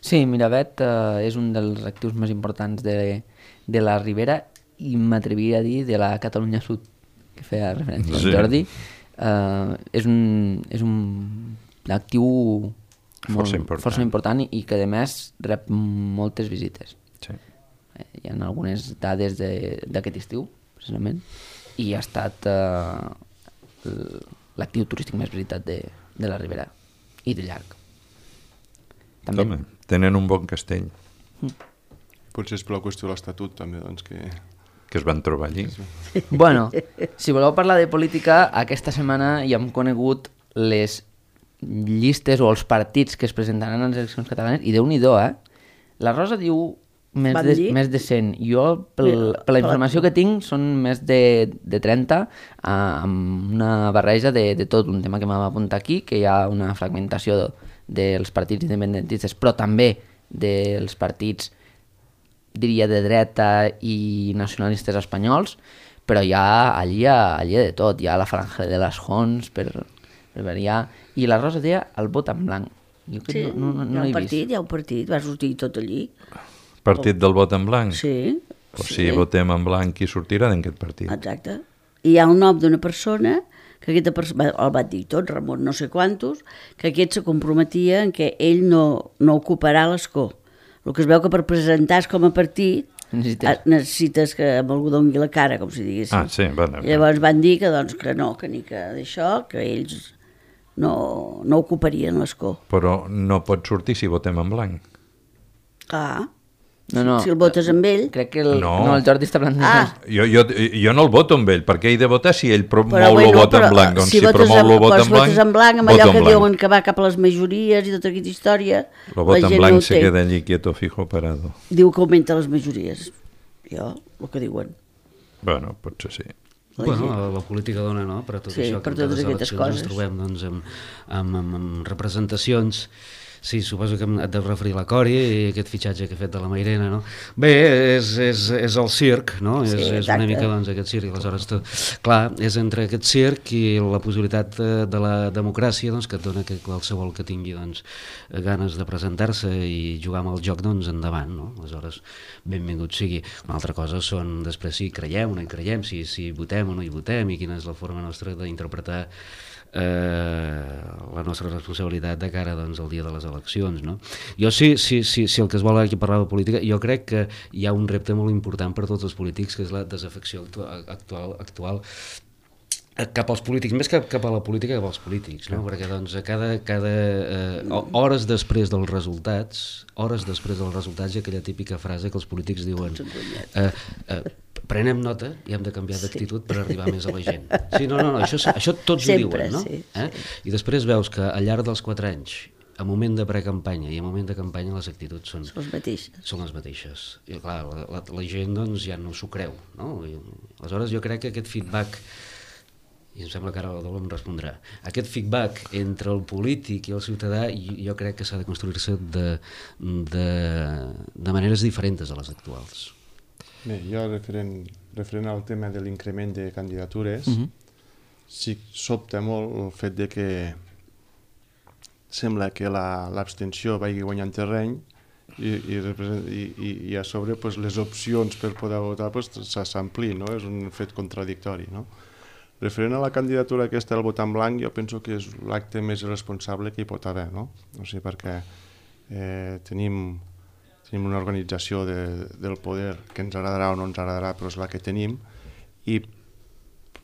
Speaker 1: Sí, Miravet eh, és un dels actius més importants de, de la Ribera i m'atreviria a dir de la Catalunya Sud, que feia referència sí. al Jordi. Eh, és un, és un actiu molt,
Speaker 3: força, important.
Speaker 1: força important i que a més rep moltes visites.
Speaker 3: Sí.
Speaker 1: Eh, hi ha algunes dades d'aquest estiu, precisament, i ha estat eh, l'actiu turístic més visitat de, de la Ribera i de llarg. També.
Speaker 3: Home, tenen un bon castell.
Speaker 1: Mm.
Speaker 4: Potser és per la qüestió de l'Estatut, també, doncs, que...
Speaker 3: Que es van trobar allí.
Speaker 1: Bueno, si voleu parlar de política, aquesta setmana ja hem conegut les llistes o els partits que es presentaran a les eleccions catalanes, i Déu-n'hi-do, eh? La Rosa diu més de, més de cent. Jo, pel, per la informació que tinc, són més de, de trenta, eh, amb una barreja de, de tot, un tema que m'ha apuntat aquí, que hi ha una fragmentació de, dels partits independentistes, però també dels partits, diria, de dreta i nacionalistes espanyols, però hi ha allí, allí de tot, hi ha la franja de les Jons, per, per variar, i la Rosa deia el vot en blanc. Jo que
Speaker 2: sí,
Speaker 1: no, no, no
Speaker 2: hi ha un
Speaker 1: he
Speaker 2: partit,
Speaker 1: vist.
Speaker 2: hi ha un partit, va sortir tot allí.
Speaker 3: Partit del vot en blanc?
Speaker 2: Sí.
Speaker 3: Pues
Speaker 2: sí.
Speaker 3: si votem en blanc, qui sortirà d'aquest partit?
Speaker 2: Exacte. I hi ha el nom d'una persona que aquesta persona, el va dir tot, Ramon no sé quantos, que aquest se comprometia en que ell no, no ocuparà l'escó. El que es veu que per presentar-se com a partit necessites, necessites que amb algú doni la cara, com si diguéssim.
Speaker 3: Ah, sí, bueno.
Speaker 2: I llavors van dir que, doncs, que no, que ni que d'això, que ells no, no ocuparien l'escó.
Speaker 3: Però no pot sortir si votem en blanc.
Speaker 2: Ah,
Speaker 1: No, no,
Speaker 2: si el votes amb ell...
Speaker 1: Crec que el,
Speaker 3: no.
Speaker 1: no, el Jordi està parlant...
Speaker 2: Ah.
Speaker 3: Jo, jo, jo no el voto amb ell, perquè ell de votar si ell promou
Speaker 2: Però,
Speaker 3: el
Speaker 2: bueno,
Speaker 3: vot en
Speaker 2: però,
Speaker 3: blanc. Doncs
Speaker 2: si,
Speaker 3: si promou el vot en blanc,
Speaker 2: votes en blanc, amb allò que diuen que va cap a les majories i tota aquesta història...
Speaker 3: El vot en blanc se queda allí quieto, fijo, parado.
Speaker 2: Diu que augmenta les majories. Jo, el que diuen.
Speaker 3: Bueno, potser sí.
Speaker 2: La
Speaker 5: bueno, la, la política dona, no?, per a tot
Speaker 2: sí,
Speaker 5: això,
Speaker 2: per
Speaker 5: que en
Speaker 2: totes
Speaker 5: les
Speaker 2: aquestes
Speaker 5: eleccions
Speaker 2: coses.
Speaker 5: ens trobem doncs, amb, amb, amb, amb representacions Sí, suposo que et deus referir a la Cori i aquest fitxatge que ha fet de la Mairena, no? Bé, és, és, és el circ, no?
Speaker 2: Sí,
Speaker 5: és, és una mica, doncs, aquest circ. Aleshores, tu, clar, és entre aquest circ i la possibilitat de, de la democràcia, doncs, que et dona que qualsevol que tingui, doncs, ganes de presentar-se i jugar amb el joc, doncs, endavant, no? Aleshores, benvingut sigui. Una altra cosa són, després, si creiem o no hi creiem, si, si votem o no hi votem i quina és la forma nostra d'interpretar Eh, la nostra responsabilitat de cara, doncs, al dia de les eleccions, no? Jo sí, sí, sí, si el que es vol aquí parlar de política, jo crec que hi ha un repte molt important per tots els polítics, que és la desafecció actual, actual, actual cap als polítics, més que cap a la política, cap als polítics, no? Perquè, doncs, a cada, cada eh, hores després dels resultats, hores després dels resultats hi ha aquella típica frase que els polítics diuen eh, eh, prenem nota i hem de canviar d'actitud per arribar més a la gent. Sí, no, no, no, això, això tots
Speaker 2: Sempre,
Speaker 5: ho diuen, no?
Speaker 2: sí,
Speaker 5: eh?
Speaker 2: sí.
Speaker 5: I després veus que al llarg dels quatre anys, a moment de precampanya i a moment de campanya, les actituds són,
Speaker 2: Són les mateixes.
Speaker 5: són les mateixes. I clar, la, la, la gent, doncs, ja no s'ho creu, no? I, aleshores jo crec que aquest feedback, i em sembla que ara la Dol em respondrà, aquest feedback entre el polític i el ciutadà jo crec que s'ha de construir-se de, de, de maneres diferents a les actuals.
Speaker 4: Bé, jo referent, referent al tema de l'increment de candidatures, uh-huh. sí sobta molt el fet de que sembla que l'abstenció la, vagi guanyant terreny i, i, i, i, i a sobre pues, les opcions per poder votar pues, s'amplien, no? És un fet contradictori, no? Referent a la candidatura aquesta del vot en blanc, jo penso que és l'acte més irresponsable que hi pot haver, no? O sigui, perquè eh, tenim, tenim una organització de, del poder que ens agradarà o no ens agradarà, però és la que tenim, i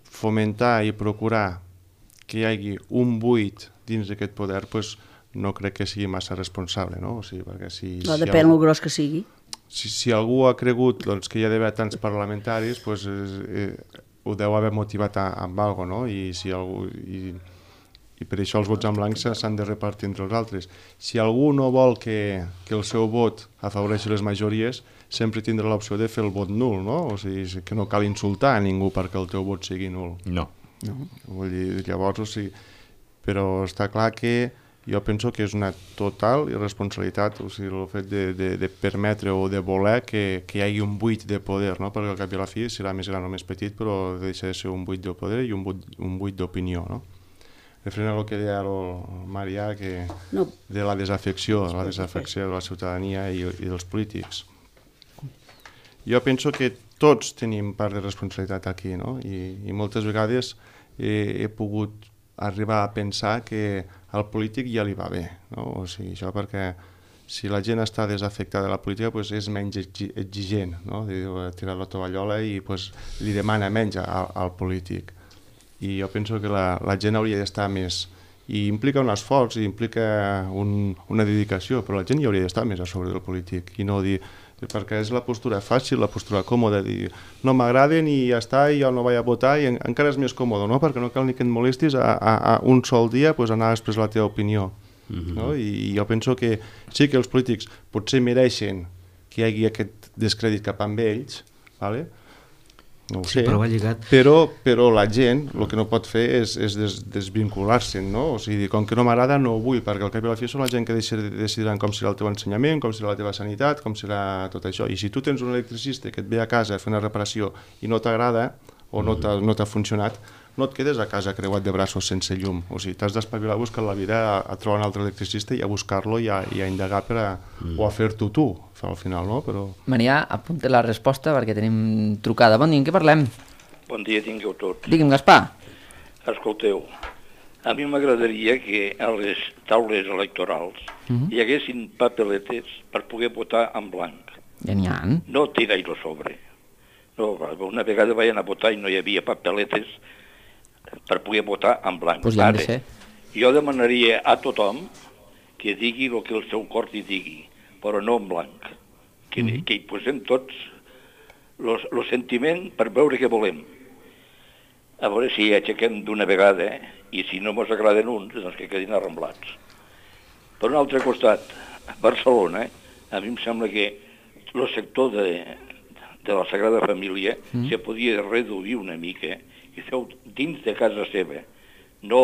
Speaker 4: fomentar i procurar que hi hagi un buit dins d'aquest poder, pues, no crec que sigui massa responsable, no? O sigui, perquè si,
Speaker 2: No,
Speaker 4: si
Speaker 2: depèn
Speaker 4: algú,
Speaker 2: el gros que sigui.
Speaker 4: Si, si algú ha cregut doncs, que hi ha d'haver tants parlamentaris, pues, eh, ho deu haver motivat a, amb alguna cosa, no? I, si algú, i, i per això els vots en blanc s'han de repartir entre els altres. Si algú no vol que, que el seu vot afavoreixi les majories, sempre tindrà l'opció de fer el vot nul, no? O sigui, que no cal insultar a ningú perquè el teu vot sigui nul.
Speaker 3: No.
Speaker 4: No? Vull dir, llavors, o sigui, però està clar que jo penso que és una total irresponsabilitat, o sigui, el fet de, de, de permetre o de voler que, que hi hagi un buit de poder, no? Perquè al cap i a la fi serà més gran o més petit, però deixa de ser un buit de poder i un buit, un buit d'opinió, no? Referent a el que deia el Marià, que
Speaker 2: No.
Speaker 4: de la desafecció, la desafecció de la ciutadania i, i dels polítics. Jo penso que tots tenim part de responsabilitat aquí, no? I, i moltes vegades he, he pogut arribar a pensar que al polític ja li va bé, no? O sigui, això perquè si la gent està desafectada de la política, pues és menys exigent, no? Tirar la tovallola i pues, li demana menys al, al polític. I jo penso que la, la gent hauria d'estar més, i implica un esforç, i implica un, una dedicació, però la gent hi hauria d'estar més a sobre del polític i no dir, perquè és la postura fàcil, la postura còmoda, dir no m'agraden i ja està, i jo no vaig a votar, i en, encara és més còmode, no? Perquè no cal ni que et molestis a, a, a un sol dia pues, anar a expressar la teva opinió. Mm-hmm. No? I, I jo penso que sí que els polítics potser mereixen que hi hagi aquest descrèdit cap amb ells, ¿vale? No ho
Speaker 5: Sí,
Speaker 4: sé,
Speaker 5: però va lligat.
Speaker 4: però, però la gent el que no pot fer és, és des, desvincular-se'n, no? O sigui, com que no m'agrada no ho vull, perquè al cap i a la fi són la gent que decidiran com serà el teu ensenyament, com serà la teva sanitat, com serà tot això. I si tu tens un electricista que et ve a casa a fer una reparació i no t'agrada o no t'ha no t'ha funcionat, no et quedes a casa creuat de braços sense llum. O sigui, t'has d'espavilar a buscar la vida, a, a trobar un altre electricista i a buscar-lo i, a, i a indagar per a, mm. o a fer-t'ho tu, al final, no? Però...
Speaker 1: Marià, apunta la resposta perquè tenim trucada. Bon dia, en què parlem?
Speaker 6: Bon dia, tingueu tots.
Speaker 1: Digue'm, Gaspar.
Speaker 6: Escolteu, a mi m'agradaria que a les taules electorals uh-huh. hi haguessin papeletes per poder votar en blanc.
Speaker 1: Ja n'hi ha.
Speaker 6: No tirar-ho sobre. No, una vegada vaig anar a votar i no hi havia papeletes per poder votar en blanc.
Speaker 1: Pues ja han de ser.
Speaker 6: Jo demanaria a tothom que digui el que el seu cor hi digui, però no en blanc. Que, mm-hmm. que hi posem tots el sentiment per veure què volem. A veure si aixequem d'una vegada, eh? I si no ens agraden uns, doncs que quedin arramblats. Per un altre costat, a Barcelona, eh? a mi em sembla que el sector de, de la Sagrada Família mm. se podia reduir una mica i feu dins de casa seva, no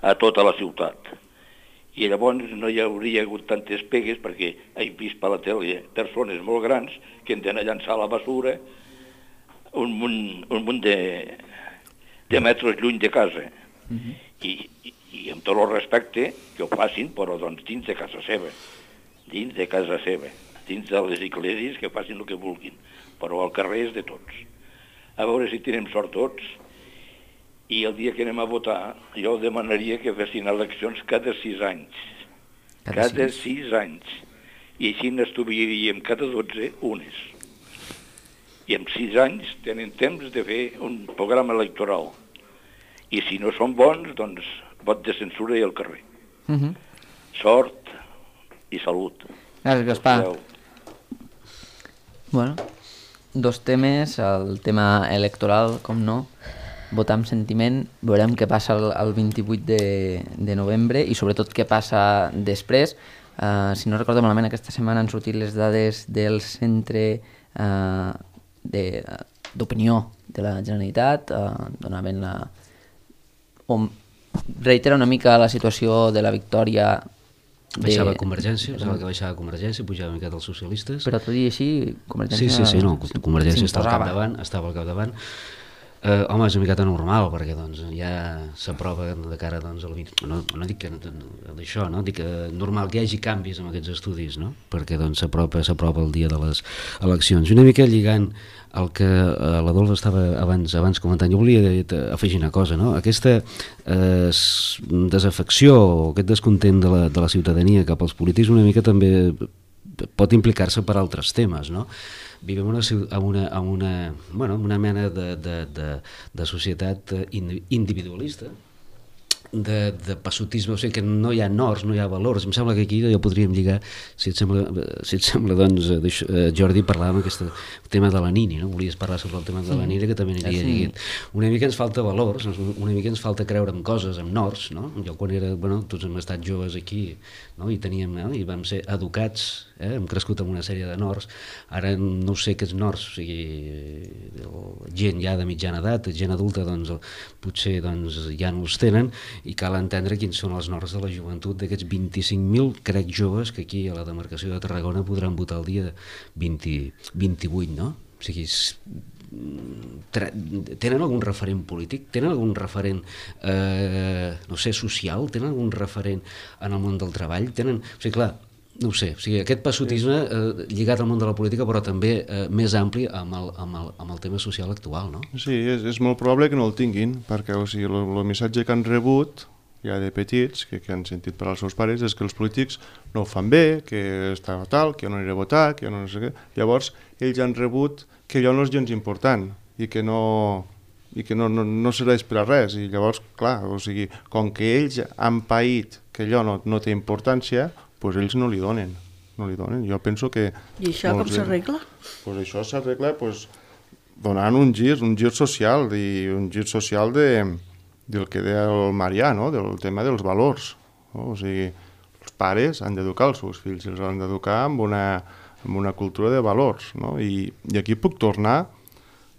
Speaker 6: a tota la ciutat. i llavors no hi hauria hagut tantes pegues perquè he vist per la tele persones molt grans que han d'anar a llançar la basura un munt, un munt de, de metres lluny de casa. Uh-huh. I, i, I amb tot el respecte que ho facin, però doncs dins de casa seva, dins de casa seva, dins de les esglésies que facin el que vulguin, però al carrer és de tots. A veure si tenim sort tots, i el dia que anem a votar jo demanaria que fessin eleccions cada sis anys. Cada, cada sis. sis anys. I així n'estudiaríem cada dotze unes. I en sis anys tenen temps de fer un programa electoral. I si no són bons, doncs vot de censura i al carrer. Uh-huh. Sort i salut.
Speaker 1: Gràcies, Gaspar. Bueno, dos temes, el tema electoral, com no, votar amb sentiment, veurem què passa el, el vint-i-vuit de, de novembre i sobretot què passa després. Uh, si no recordo malament, aquesta setmana han sortit les dades del centre uh, d'opinió de, de la Generalitat, uh, donaven la... on reitera una mica la situació de la victòria de...
Speaker 5: Baixava Convergència, pensava que baixava Convergència, pujava una miqueta els socialistes.
Speaker 1: Però tot i així, Convergència...
Speaker 5: Sí, sí, sí, no, Convergència està al capdavant, estava al capdavant. Eh, home, és una miqueta normal, perquè doncs, ja s'aprova de cara doncs, al vint... No, no dic que d'això, no? Dic que normal que hi hagi canvis en aquests estudis, no? Perquè doncs, s'apropa s'apropa el dia de les eleccions. Una mica lligant el que eh, l'Adolf estava abans abans comentant, jo volia afegir una cosa, no? Aquesta eh, desafecció o aquest descontent de la, de la ciutadania cap als polítics una mica també pot implicar-se per altres temes, no? Vivim una, una, una, bueno, una mena de, de, de, de societat individualista, de, de passotisme, o sigui que no hi ha nords, no hi ha valors. Em sembla que aquí ja podríem lligar, si et sembla, si et sembla doncs, Jordi, parlàvem aquest tema de la Nini, no? Volies parlar sobre el tema de la Nini, que també aniria sí. lligat. Una mica ens falta valors, una mica ens falta creure en coses, en nords, no? Jo quan era, bueno, tots hem estat joves aquí, no? I teníem, no? I vam ser educats, eh? Hem crescut amb una sèrie de nords, ara no sé què és nords, o sigui, gent ja de mitjana edat, gent adulta, doncs, potser doncs, ja no els tenen, i cal entendre quins són els nords de la joventut d'aquests vint-i-cinc mil, crec, joves que aquí a la demarcació de Tarragona podran votar el dia vint, vint-i-vuit, no? O sigui, tenen algun referent polític? Tenen algun referent, eh, no sé, social? Tenen algun referent en el món del treball? Tenen... O sigui, clar, no ho sé, o sigui, aquest passotisme eh, lligat al món de la política, però també eh, més ampli amb el, amb, el, amb el tema social actual, no?
Speaker 4: Sí, és, és molt probable que no el tinguin, perquè o sigui, el, el missatge que han rebut ja de petits, que, que han sentit per als seus pares, és que els polítics no ho fan bé, que està tal, que jo no aniré a votar, que jo no sé què. Llavors, ells han rebut que allò no és gens important i que no, i que no, no, no serveix per a res. I llavors, clar, o sigui, com que ells han paït que allò no, no té importància, pues ells no li donen, no li donen. Jo penso que...
Speaker 2: I això com s'arregla?
Speaker 4: Pues això s'arregla pues, donant un gir, un gir social, i un gir social de, del que deia el Marià, no? Del tema dels valors. No? O sigui, els pares han d'educar els seus fills, els han d'educar amb una, amb una cultura de valors. No? I, I aquí puc tornar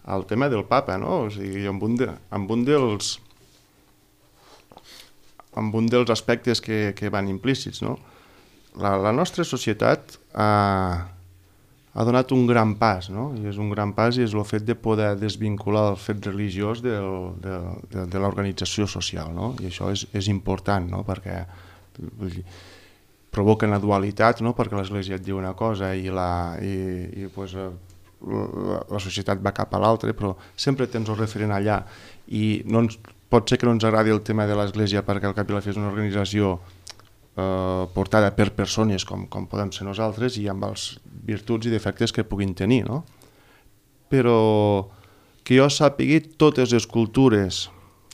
Speaker 4: al tema del papa, no? O sigui, amb un, de, amb un dels amb un dels aspectes que, que van implícits, no? La, la nostra societat ha, ha donat un gran pas, no? I és un gran pas i és el fet de poder desvincular el fet religiós del, de, de, de l'organització social, no? I això és, és important, no? Perquè provoquen la dualitat, no? Perquè l'Església et diu una cosa i la, i, i pues, la, la societat va cap a l'altra, però sempre tens el referent allà. I no ens, pot ser que no ens agradi el tema de l'Església perquè al cap i a la fi és una organització Eh, portada per persones com, com podem ser nosaltres i amb els virtuts i defectes que puguin tenir, no? Però que jo sàpigui, totes les cultures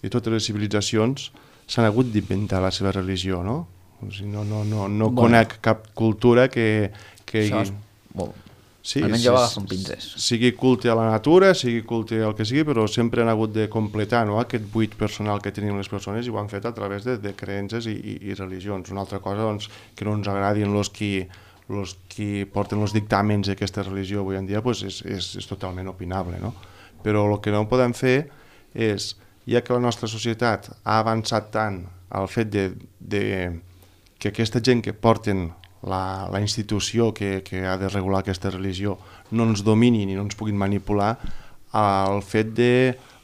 Speaker 4: i totes les civilitzacions s'han hagut d'inventar la seva religió, no? O sigui, no, no, no, no bueno. Conec cap cultura que... que
Speaker 1: Això és molt...
Speaker 4: Sí,
Speaker 1: almenys jo agafo un pinzés.
Speaker 4: Sigui culte a la natura, sigui culte al que sigui, però sempre han hagut de completar, no? Aquest buit personal que tenim les persones i ho han fet a través de, de creences i, i, i religions. Una altra cosa doncs, que no ens agradin els qui, els qui porten els dictàmens d'aquesta religió avui en dia pues és, és, és totalment opinable, no? Però el que no podem fer és, ja que la nostra societat ha avançat tant al fet de, de que aquesta gent que porten la, la institució que, que ha de regular aquesta religió no ens dominin i no ens puguin manipular, el fet de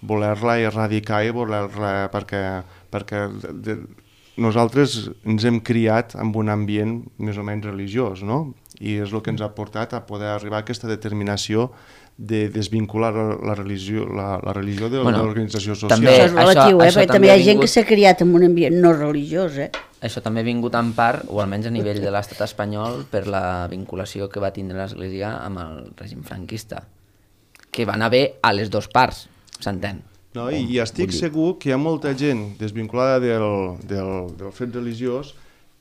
Speaker 4: voler-la erradicar i voler-la... perquè, perquè de, de, nosaltres ens hem criat en un ambient més o menys religiós, no? I és el que ens ha portat a poder arribar a aquesta determinació de desvincular la religió, la, la religió de bueno, l'organització social.
Speaker 2: També, això és relatiu,
Speaker 1: això,
Speaker 2: eh?
Speaker 1: això
Speaker 2: perquè també hi ha
Speaker 1: vingut...
Speaker 2: gent que s'ha criat en un ambient no religiós. Eh?
Speaker 1: Això també ha vingut en part, o almenys a nivell de l'estat espanyol, per la vinculació que va tindre l'Església amb el règim franquista, que van haver a les dues parts, s'entén.
Speaker 4: No, i, I estic segur que hi ha molta gent desvinculada del, del, del fet religiós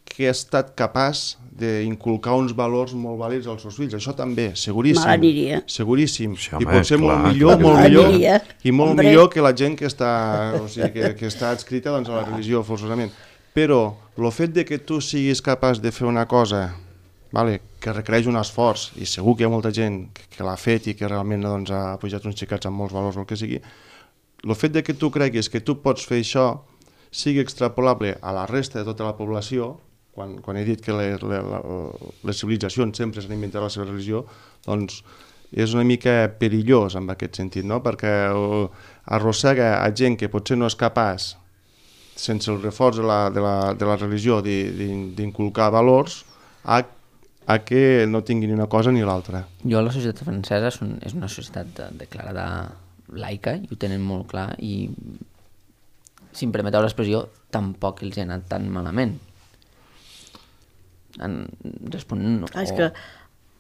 Speaker 4: que ha estat capaç d'inculcar uns valors molt vàlids als seus fills. Això també, seguríssim.
Speaker 2: Mal aniria.
Speaker 4: Seguríssim.
Speaker 3: Sí,
Speaker 4: I
Speaker 3: home,
Speaker 4: pot ser
Speaker 3: clar,
Speaker 4: molt millor,
Speaker 3: clar,
Speaker 4: molt
Speaker 2: clar.
Speaker 4: millor,
Speaker 2: Aniria.
Speaker 4: i molt
Speaker 2: Hombre.
Speaker 4: millor que la gent que està, o sigui, que, que està adscrita doncs, a la religió, forçosament. Però el fet de que tu siguis capaç de fer una cosa, vale, que requereix un esforç, i segur que hi ha molta gent que, que l'ha fet i que realment doncs, ha pujat uns xicats amb molts valors o el que sigui, el fet de que tu creguis que tu pots fer això sigui extrapolable a la resta de tota la població, quan, quan he dit que les, les, les civilitzacions sempre s'han inventat la seva religió, doncs és una mica perillós en aquest sentit, no? Perquè arrossega a gent que potser no és capaç, sense el reforç de la, de la, de la religió, d'inculcar valors, a, a que no tingui ni una cosa ni l'altra.
Speaker 1: Jo, la societat francesa és, un, és una societat declarada laica, i ho tenen molt clar, i si em permeteu l'expressió, tampoc els ha anat tan malament. En, responent,
Speaker 2: Ah, és
Speaker 1: o
Speaker 2: que-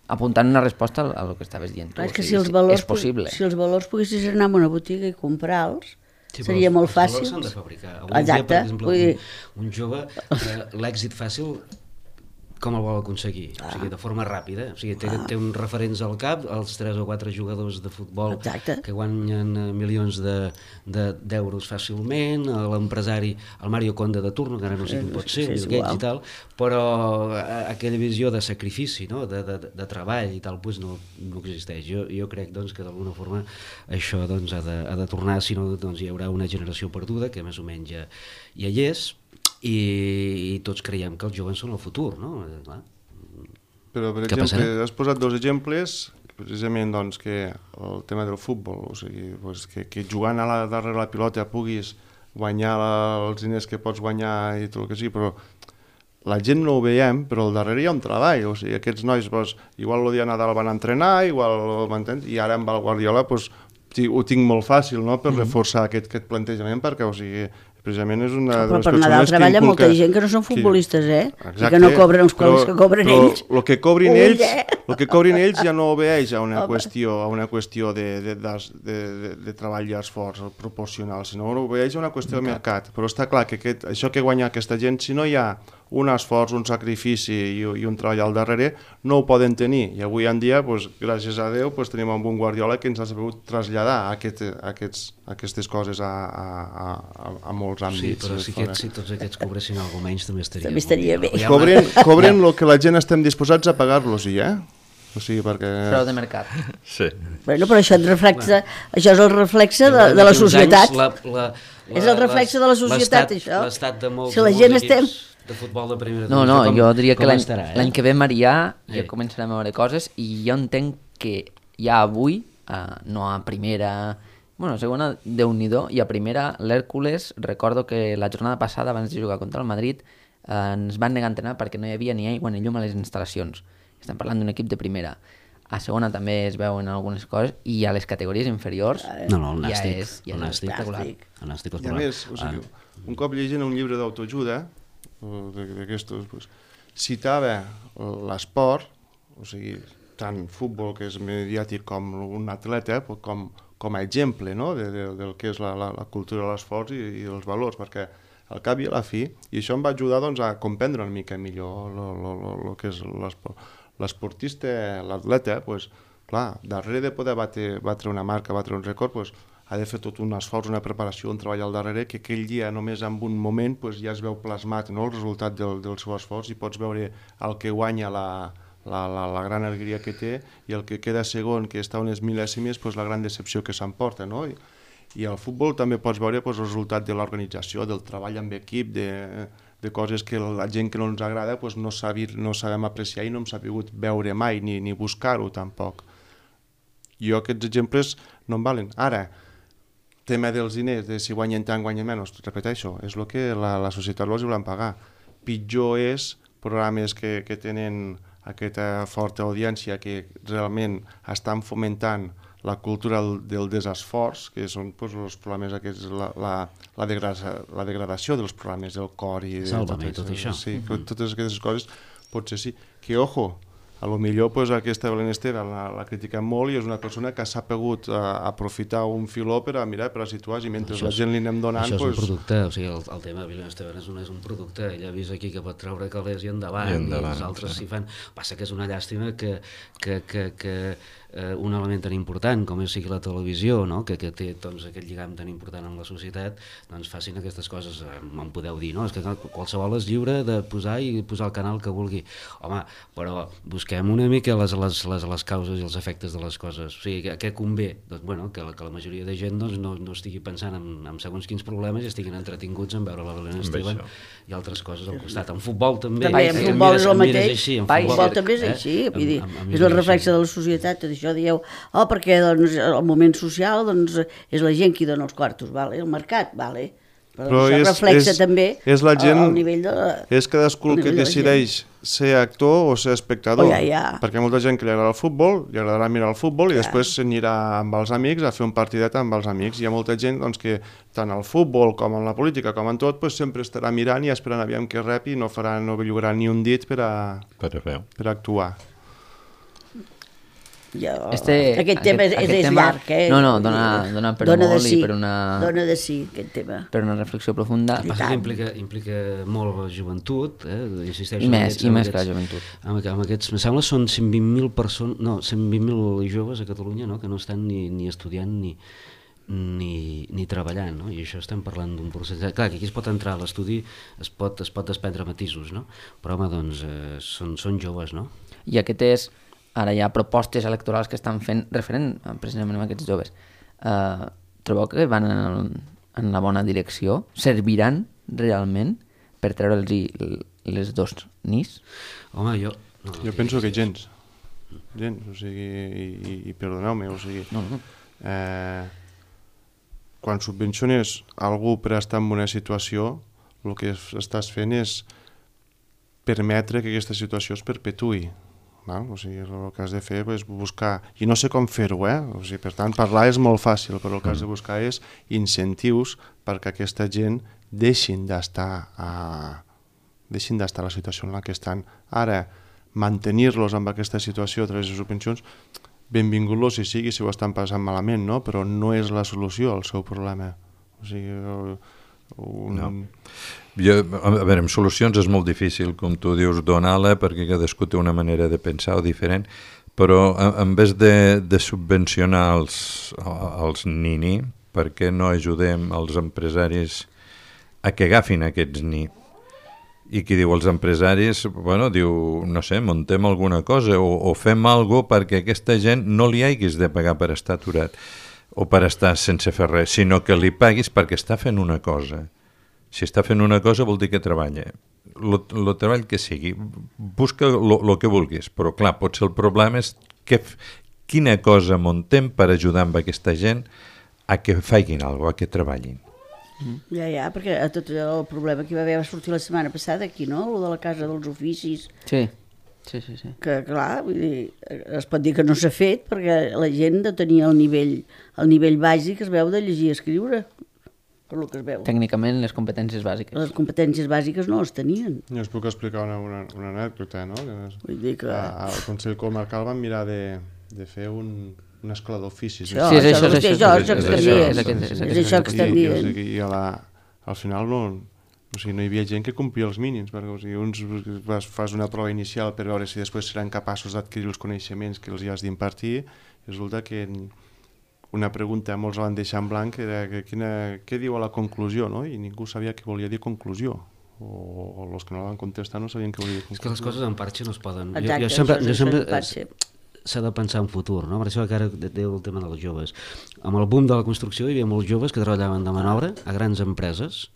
Speaker 1: apuntant una resposta a el que estaves dient tu.
Speaker 2: Clar, és que
Speaker 1: o
Speaker 2: si
Speaker 1: sigui,
Speaker 2: els valors,
Speaker 1: és possible.
Speaker 2: si els valors poguessis anar a una botiga i comprar-los,
Speaker 5: Sí,
Speaker 2: seria
Speaker 5: els,
Speaker 2: molt
Speaker 5: els
Speaker 2: fàcil.
Speaker 5: valors s'han de fabricar. Avui
Speaker 2: Exacte.
Speaker 5: dia, per exemple,
Speaker 2: Vull dir...
Speaker 5: un, un jove, eh, l'èxit fàcil, com el vol aconseguir? Ah. O sigui, de forma ràpida. O sigui, té, ah. té uns referents al cap, els tres o quatre jugadors de futbol
Speaker 2: Exacte.
Speaker 5: que guanyen eh, milions de, de, d'euros fàcilment, eh, l'empresari, el Mario Conde de turno, que ara no sé quin pot ser,
Speaker 2: Sí, és
Speaker 5: Bill Gates
Speaker 2: igual.
Speaker 5: i tal, però eh, aquella visió de sacrifici, no? de, de, de treball i tal, doncs no, no existeix. Jo, jo crec doncs, que d'alguna forma això doncs, ha, de, ha de tornar, si no doncs, hi haurà una generació perduda, que més o menys ja, ja hi és, i, i tots creiem que els joves són el futur, no? Eh, clar.
Speaker 4: Però, per
Speaker 5: Què
Speaker 4: exemple,
Speaker 5: passarà?
Speaker 4: has posat dos exemples, precisament doncs, que el tema del futbol, o sigui, doncs, que, que jugant a la, darrere la pilota puguis guanyar la, els diners que pots guanyar i tot el que sigui, però la gent no ho veiem, però al darrere hi ha un treball, o sigui, aquests nois, doncs, igual el dia de Nadal van entrenar, igual, m'entens? I ara amb el Guardiola, doncs, ho tinc molt fàcil, no?, per reforçar aquest, aquest plantejament, perquè, o sigui, precisament és una de
Speaker 2: Però
Speaker 4: les
Speaker 2: per
Speaker 4: persones
Speaker 2: Nadal
Speaker 4: que
Speaker 2: treballa
Speaker 4: inculca...
Speaker 2: molta gent que no són futbolistes, eh?
Speaker 4: Exacte,
Speaker 2: I que no cobren els quals que cobren
Speaker 4: però
Speaker 2: ells.
Speaker 4: El que cobrin
Speaker 2: Ull,
Speaker 4: ells,
Speaker 2: eh?
Speaker 4: el que cobrin ells ja no obeeix a una
Speaker 2: Home.
Speaker 4: qüestió, a una qüestió de, de, de, de, de, de treball i esforç proporcional, sinó que obeeix a una qüestió de mercat. Però està clar que aquest, això que guanya aquesta gent, si no hi ha un esforç, un sacrifici i, i un treball al darrere, no ho poden tenir. I avui en dia, doncs, gràcies a Déu, doncs, tenim un bon Guardiola que ens ha sabut traslladar aquest, aquests, aquestes coses a, a, a, a molts
Speaker 5: Sí,
Speaker 4: àmbits.
Speaker 5: però si, aquests, si tots aquests cobressin alguna menys també estaria,
Speaker 2: També estaria
Speaker 5: molt
Speaker 2: bé.
Speaker 5: Ja,
Speaker 4: Cobren, cobren el que la gent estem disposats a pagar-los, eh? O sigui, perquè...
Speaker 1: Preu de mercat.
Speaker 3: Sí.
Speaker 2: Bueno, però això, et reflexa, això és el reflexe de,
Speaker 5: Llavors,
Speaker 2: de la
Speaker 5: d'aquí uns
Speaker 2: societat.
Speaker 5: anys, la, la, la,
Speaker 2: És el reflexe de la societat,
Speaker 5: l'estat-
Speaker 2: això.
Speaker 5: L'estat de molts,
Speaker 2: Si la
Speaker 5: molts
Speaker 2: gent
Speaker 5: equips
Speaker 2: estem-
Speaker 5: de futbol de primera
Speaker 1: No,
Speaker 5: divisió,
Speaker 1: no,
Speaker 5: com-
Speaker 1: jo diria que
Speaker 5: com
Speaker 1: l'any
Speaker 5: estarà, eh?
Speaker 1: l'any que ve, Marià, ja
Speaker 5: Eh.
Speaker 1: començarem a veure coses, i jo entenc que ja avui, eh, no a primera, bueno, a segona, Déu-n'hi-do, i a primera, l'Hèrcules, recordo que la jornada passada, abans de jugar contra el Madrid, eh, ens van negar a entrenar perquè no hi havia ni aigua ni llum a les instal·lacions. Estem parlant d'un equip de primera. A segona també es veuen algunes coses, i a les categories inferiors
Speaker 5: No, no, el
Speaker 1: ja
Speaker 5: nàstic.
Speaker 1: és, ja
Speaker 5: el
Speaker 1: és
Speaker 5: nàstic.
Speaker 1: espectacular.
Speaker 5: El nàstic
Speaker 4: I a
Speaker 5: escolar.
Speaker 4: més, o sigui, un cop llegint un llibre d'autoajuda, o de- d'aquestos, pues, citava l'esport, o sigui, tant futbol, que és mediàtic, com un atleta, pues, com, com a exemple, no?, de, de, del que és la, la, la cultura de l'esforç i, i els valors, perquè al cap i a la fi, i això em va ajudar doncs, a comprendre una mica millor el que és l'esport. L'esportista, l'atleta, pues, clar, darrere de poder batre, batre una marca, batre un rècord, pues, ha de fer tot un esforç, una preparació, un treball al darrere, que aquell dia, només en un moment, pues, ja es veu plasmat, no?, el resultat del, del seu esforç, i pots veure el que guanya la, la, la, la gran alegria que té, i el que queda segon, que està unes mil·lèsimes, pues, la gran decepció que s'emporta, no? I, I al futbol també pots veure pues, el resultat de l'organització, del treball amb equip, de, de coses que la gent que no ens agrada pues, no, sabir, no sabem apreciar i no hem sabut veure mai, ni, ni buscar-ho tampoc. Jo aquests exemples no em valen. Ara, tema dels diners, de si guanyen tant, guanyen menys, repeteixo, és el que la, la societat els volen pagar. Pitjor és programes que, que tenen aquesta forta audiència que realment estan fomentant la cultura del, del desesforç, que són pues, els programes aquests, la, la, la, degrada, la degradació dels programes del cor i
Speaker 5: Sálvame, tot, tot això.
Speaker 4: Sí, mm-hmm. Totes aquestes coses, potser sí. Que, ojo, a lo millor pues, aquesta Belén Esteban la, la critiquem molt i és una persona que s'ha pogut uh, aprofitar un filó per a mirar, per a situar, i mentre això la gent li anem donant...
Speaker 5: Això és
Speaker 4: pues...
Speaker 5: un producte, o sigui, el, el tema de Belén Esteban és un, és un producte, ella ha vist aquí que pot treure calés i endavant, I, endavant, i els altres s'hi fan... Passa que és una llàstima que, que, que, que eh, un element tan important com és sigui la televisió, no? que, que té doncs, aquest lligam tan important amb la societat, doncs facin aquestes coses, eh, em podeu dir, no? És que qualsevol és lliure de posar i posar el canal que vulgui. Home, però busquem una mica les, les, les, les causes i els efectes de les coses. O sigui, què convé? Doncs, bueno, que, la, que la majoria de gent doncs, no, no estigui pensant en, en segons quins problemes i estiguin entretinguts en veure la Belén Esteban i altres coses al costat. En futbol també.
Speaker 2: També, en futbol és el mateix.
Speaker 5: Així, en
Speaker 2: futbol,
Speaker 5: futbol
Speaker 2: també és així. Vull dir, és el reflexe de la societat. Tot això dieu, oh, perquè doncs, el moment social doncs, és la gent qui dona els quartos, vale? El mercat, vale? Però, però això és, reflexa és, també
Speaker 4: és la gent,
Speaker 2: al nivell de la,
Speaker 4: és cadascú que decideix ser actor o ser espectador,
Speaker 2: oh, ja, ja.
Speaker 4: perquè molta gent que li agrada el futbol, li agradarà mirar el futbol i ja. després s'anirà amb els amics a fer un partidet amb els amics. Hi ha molta gent doncs, que tant al futbol com en la política com en tot pues, sempre estarà mirant i esperant aviam que rep i no farà, no bellugarà ni un dit per a,
Speaker 3: per a,
Speaker 4: per a actuar.
Speaker 2: Jo,
Speaker 1: este,
Speaker 2: aquest tema
Speaker 1: aquest,
Speaker 2: és,
Speaker 1: aquest
Speaker 2: és
Speaker 1: tema,
Speaker 2: llarg, eh?
Speaker 1: No, no, dona, dona per
Speaker 2: dona
Speaker 1: molt
Speaker 2: sí,
Speaker 1: i per una...
Speaker 2: Dona de sí, aquest tema.
Speaker 1: Per una reflexió profunda.
Speaker 5: El que passa que implica, implica molt la joventut, eh? Insisteixo...
Speaker 1: I més,
Speaker 5: aquests,
Speaker 1: i més
Speaker 5: aquests,
Speaker 1: que la joventut.
Speaker 5: Amb, amb aquests, em sembla són cent vint mil persones, no, cent vint mil joves a Catalunya, no?, que no estan ni, ni estudiant ni, ni, ni treballant, no? I això estem parlant d'un procés... Clar, que aquí es pot entrar a l'estudi, es pot, es pot desprendre matisos, no? Però, home, doncs, eh, són, són joves, no?
Speaker 1: I aquest és... Ara hi ha propostes electorals que estan fent referent precisament a aquests joves. Uh, trobeu que van en, el, en la bona direcció? Serviran realment per treure'ls les dos nis?
Speaker 5: Home, jo... No,
Speaker 4: jo penso que gens. Gens, o sigui, i, i, i perdoneu-me, o sigui... No, no. Eh, quan subvenciones algú per estar en una situació, el que estàs fent és permetre que aquesta situació es perpetui. No? O sigui, el que has de fer és buscar, i no sé com fer-ho, eh? O sigui, per tant, parlar és molt fàcil, però el que has de buscar és incentius perquè aquesta gent deixin d'estar a... deixin d'estar a la situació en la que estan. Ara, mantenir-los amb aquesta situació a través de subvencions, benvingut-los si sigui, si ho estan passant malament, no? Però no és la solució al seu problema. O sigui... Un...
Speaker 3: No. Jo, a veure, amb solucions és molt difícil, com tu dius, donar-la, perquè cadascú té una manera de pensar o diferent, però en vez de, de subvencionar els, els nini, per què no ajudem els empresaris a que agafin aquests ni? I qui diu els empresaris, bueno, diu, no sé, muntem alguna cosa o, o fem alguna cosa perquè aquesta gent no li haguis de pagar per estar aturat o per estar sense fer res, sinó que li paguis perquè està fent una cosa. Si està fent una cosa vol dir que treballa. El treball que sigui, busca el que vulguis, però clar, potser el problema és que, quina cosa muntem per ajudar amb aquesta gent a que facin alguna cosa, a que treballin.
Speaker 2: Ja, ja, perquè a tot el problema que hi va haver va sortir la setmana passada aquí, no? El de la Casa dels Oficis.
Speaker 1: Sí. Sí, sí, sí.
Speaker 2: Que, clar, vull dir, es pot dir que no s'ha fet perquè la gent no tenia el nivell, el nivell bàsic, es veu, de llegir i escriure, per lo que es veu.
Speaker 1: Tècnicament, les competències bàsiques.
Speaker 2: Les competències bàsiques no les tenien.
Speaker 4: Jo us puc explicar una, una, una anècdota, no?
Speaker 2: Vull dir que...
Speaker 4: Al Consell Comarcal van mirar de, de fer un, una escola d'oficis.
Speaker 2: Sí, és això, és això, és això que estan dient.
Speaker 4: I a la, al final no... O sigui, no hi havia gent que complia els mínims, perquè o sigui, uns vas, fas una prova inicial per veure si després seran capaços d'adquirir els coneixements que els hi has d'impartir, i resulta que una pregunta molts la van deixar en blanc era que quina, què diu a la conclusió, no? I ningú sabia què volia dir conclusió, o, o els que no la van contestar no sabien què volia dir conclusió.
Speaker 5: És que les coses en parxa no es poden...
Speaker 2: Exacte,
Speaker 5: jo, jo sempre, jo sempre,
Speaker 2: parxa.
Speaker 5: s'ha de pensar en futur, no? Per això que ara deia el tema dels joves. Amb el boom de la construcció hi havia molts joves que treballaven de mà d'obra a grans empreses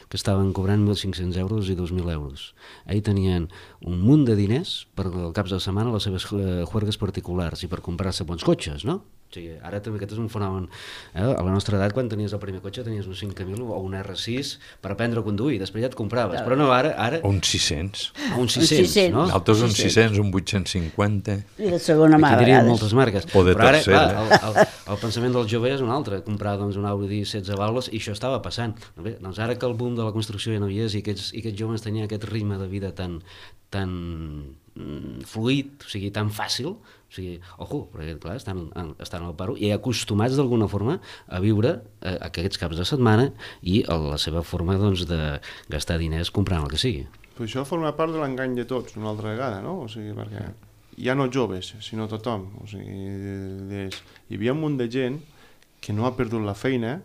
Speaker 5: que estaven cobrant mil cinc-cents euros i dos mil euros. Ahir tenien un munt de diners per al caps de setmana les seves juergues particulars i per comprar-se bons cotxes, no? O sigui, ara també aquest és un fenomen. Eh? A la nostra edat, quan tenies el primer cotxe, tenies un cinc mil o un erre sis per aprendre a conduir, després ja et compraves. Però no, ara... ara...
Speaker 3: Un sis-cents.
Speaker 5: Ah, un sis-cents, no?
Speaker 3: Altres un sis-cents, un vuit-cents cinquanta.
Speaker 2: I de segona mà,
Speaker 5: aquí diríem moltes marques.
Speaker 3: O de
Speaker 5: però ara,
Speaker 3: tercera.
Speaker 5: clar, el, el, el pensament del jove és un altre, comprar doncs, un Audi setze válvules, i això estava passant. Bé, doncs ara que el boom de la construcció ja no hi és i aquests, i aquests joves tenien aquest ritme de vida tan, tan fluid, o sigui, tan fàcil, o sigui, ojo, perquè clar, estan, estan al paro i acostumats d'alguna forma a viure eh, aquests caps de setmana i a la seva forma doncs, de gastar diners comprant el que sigui.
Speaker 4: Però això forma part de l'engany de tots, una altra vegada, no? O sigui, perquè ja no joves, sinó tothom. O sigui, des... hi havia un munt de gent que no ha perdut la feina,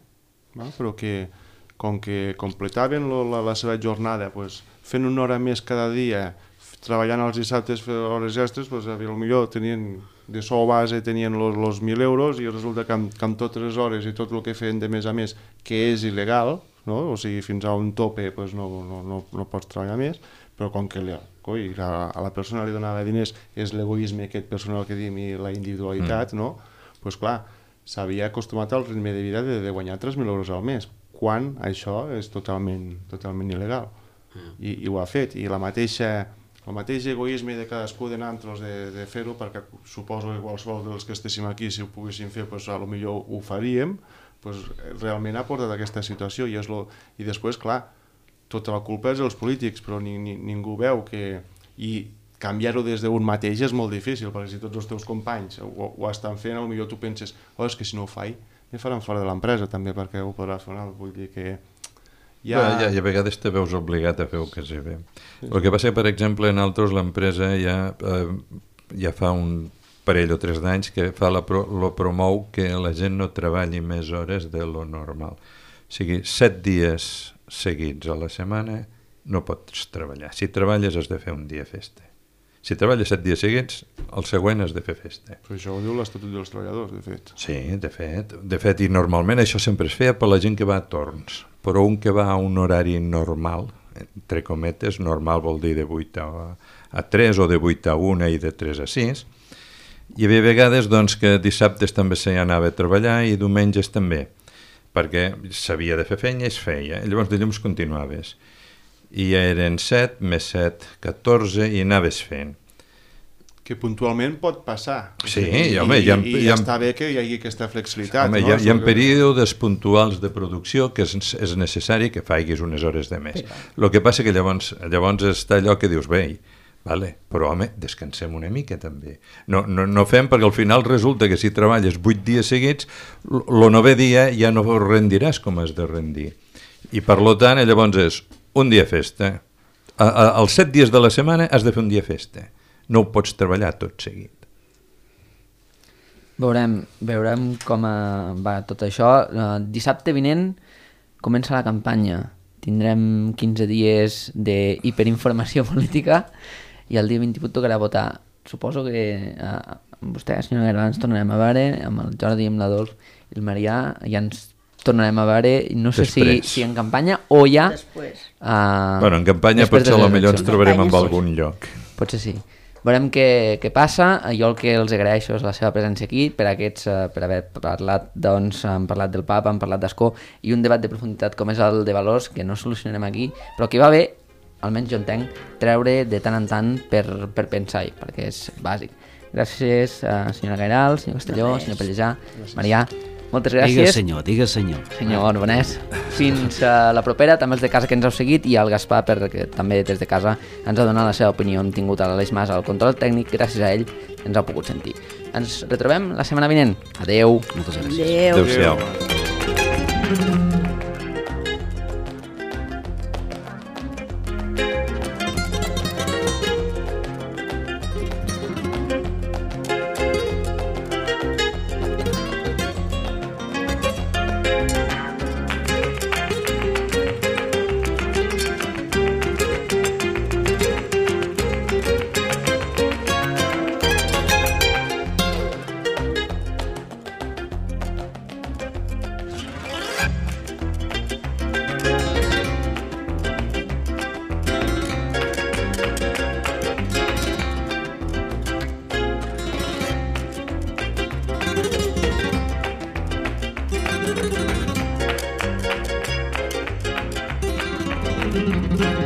Speaker 4: no? Però que com que completaven lo, la, la seva jornada pues, fent una hora més cada dia, treballant els dissabtes hores extres, pues, potser tenien de sou base tenien els mil euros i resulta que amb, que amb totes les hores i tot el que feien de més a més, que és il·legal, no? O sigui, fins a un tope pues, no, no, no, no pots treballar més, però com que li, coi, a, a la persona li donava diners és l'egoisme aquest personal que diem i la individualitat, mm. no? Pues clar, s'havia acostumat al ritme de vida de, de guanyar tres mil euros al mes, quan això és totalment, totalment il·legal. Mm. I, I ho ha fet, i la mateixa... el mateix egoisme de cadascú de nosaltres de, de fer-ho, perquè suposo que qualsevol dels que estéssim aquí, si ho poguéssim fer, pues, a lo millor ho faríem, pues, realment ha portat aquesta situació. I, és lo... I després, clar, tota la culpa és dels polítics, però ni, ni, ningú veu que... I canviar-ho des d'un mateix és molt difícil, perquè si tots els teus companys ho, ho estan fent, a lo millor tu penses, oh, és que si no ho faig, me faran fora de l'empresa també, perquè ho podràs fer, no? Vull dir que...
Speaker 3: Ja... Bé, ja, i a vegades te veus obligat a fer el que sé bé. Sí, sí. El que passa, per exemple, en altres l'empresa ja, eh, ja fa un parell o tres d'anys que fa la pro, lo promou que la gent no treballi més hores de lo normal. O sigui, set dies seguits a la setmana no pots treballar. Si treballes has de fer un dia festa. Si treballes set dies seguits, el següent has de fer festa.
Speaker 4: Però això ho diu l'Estatut dels Treballadors, de fet.
Speaker 3: Sí, de fet. De fet, i normalment això sempre es feia per la gent que va a torns. Però un que va a un horari normal, entre cometes, normal vol dir de vuit a tres o de vuit a una i de tres a sis, hi havia vegades doncs, que dissabtes també s'hi anava a treballar i diumenges també, perquè s'havia de fer feina i es feia. Llavors dilluns continuaves. I ja eren set, més set, catorze, i anaves fent.
Speaker 4: Que puntualment pot passar.
Speaker 3: Sí,
Speaker 4: I,
Speaker 3: i, home,
Speaker 4: i,
Speaker 3: ha,
Speaker 4: i, i
Speaker 3: ha,
Speaker 4: està bé que hi hagi aquesta flexibilitat.
Speaker 3: Home,
Speaker 4: no?
Speaker 3: hi ha, hi ha períodes puntuals de producció que és, és necessari que faiguis unes hores de més. El que passa que llavors, llavors està allò que dius, bé, vale, però home, descansem una mica també. No, no, no fem perquè al final resulta que si treballes vuit dies seguits, el novè dia ja no rendiràs com has de rendir. I per tant, llavors és un dia festa. A, a, els set dies de la setmana has de fer un dia festa. No ho pots treballar tot seguit.
Speaker 1: Veurem, veurem com va tot això. Uh, dissabte vinent comença la campanya. Tindrem quinze dies d'hiperinformació política i el dia vint-i-vuit tocarà votar. Suposo que uh, amb vostè, senyora Guerra, ens tornarem a veure, amb el Jordi, amb l'Adolf i el Marià, ja ens tornarem a veure, no sé si, si en campanya o ja...
Speaker 2: Després.
Speaker 1: Uh,
Speaker 3: bueno, en campanya potser potser ens trobarem en algun lloc.
Speaker 1: Potser sí. Veurem què, què passa. Jo el que els agraeixo és la seva presència aquí, per aquests, uh, per haver parlat, doncs, hem parlat del Papa, hem parlat d'Escó, i un debat de profunditat com és el de valors, que no solucionarem aquí, però que va bé, almenys jo entenc, treure de tant en tant per, per pensar-hi, perquè és bàsic. Gràcies, uh, senyora Gairal, senyor Castelló, senyor Pellejà, Marià. Moltes gràcies.
Speaker 5: Digues senyor, digues senyor.
Speaker 1: Senyor Bonès. Fins a la propera, també els de casa que ens heu seguit i al Gaspar, perquè també des de casa ens ha donat la seva opinió. Hem tingut a l'Aleix Mas al control tècnic, gràcies a ell ens ha pogut sentir. Ens retrobem la setmana vinent. Adeu.
Speaker 5: Moltes gràcies.
Speaker 2: Adeu.
Speaker 3: Adéu-siau.
Speaker 7: Thank you.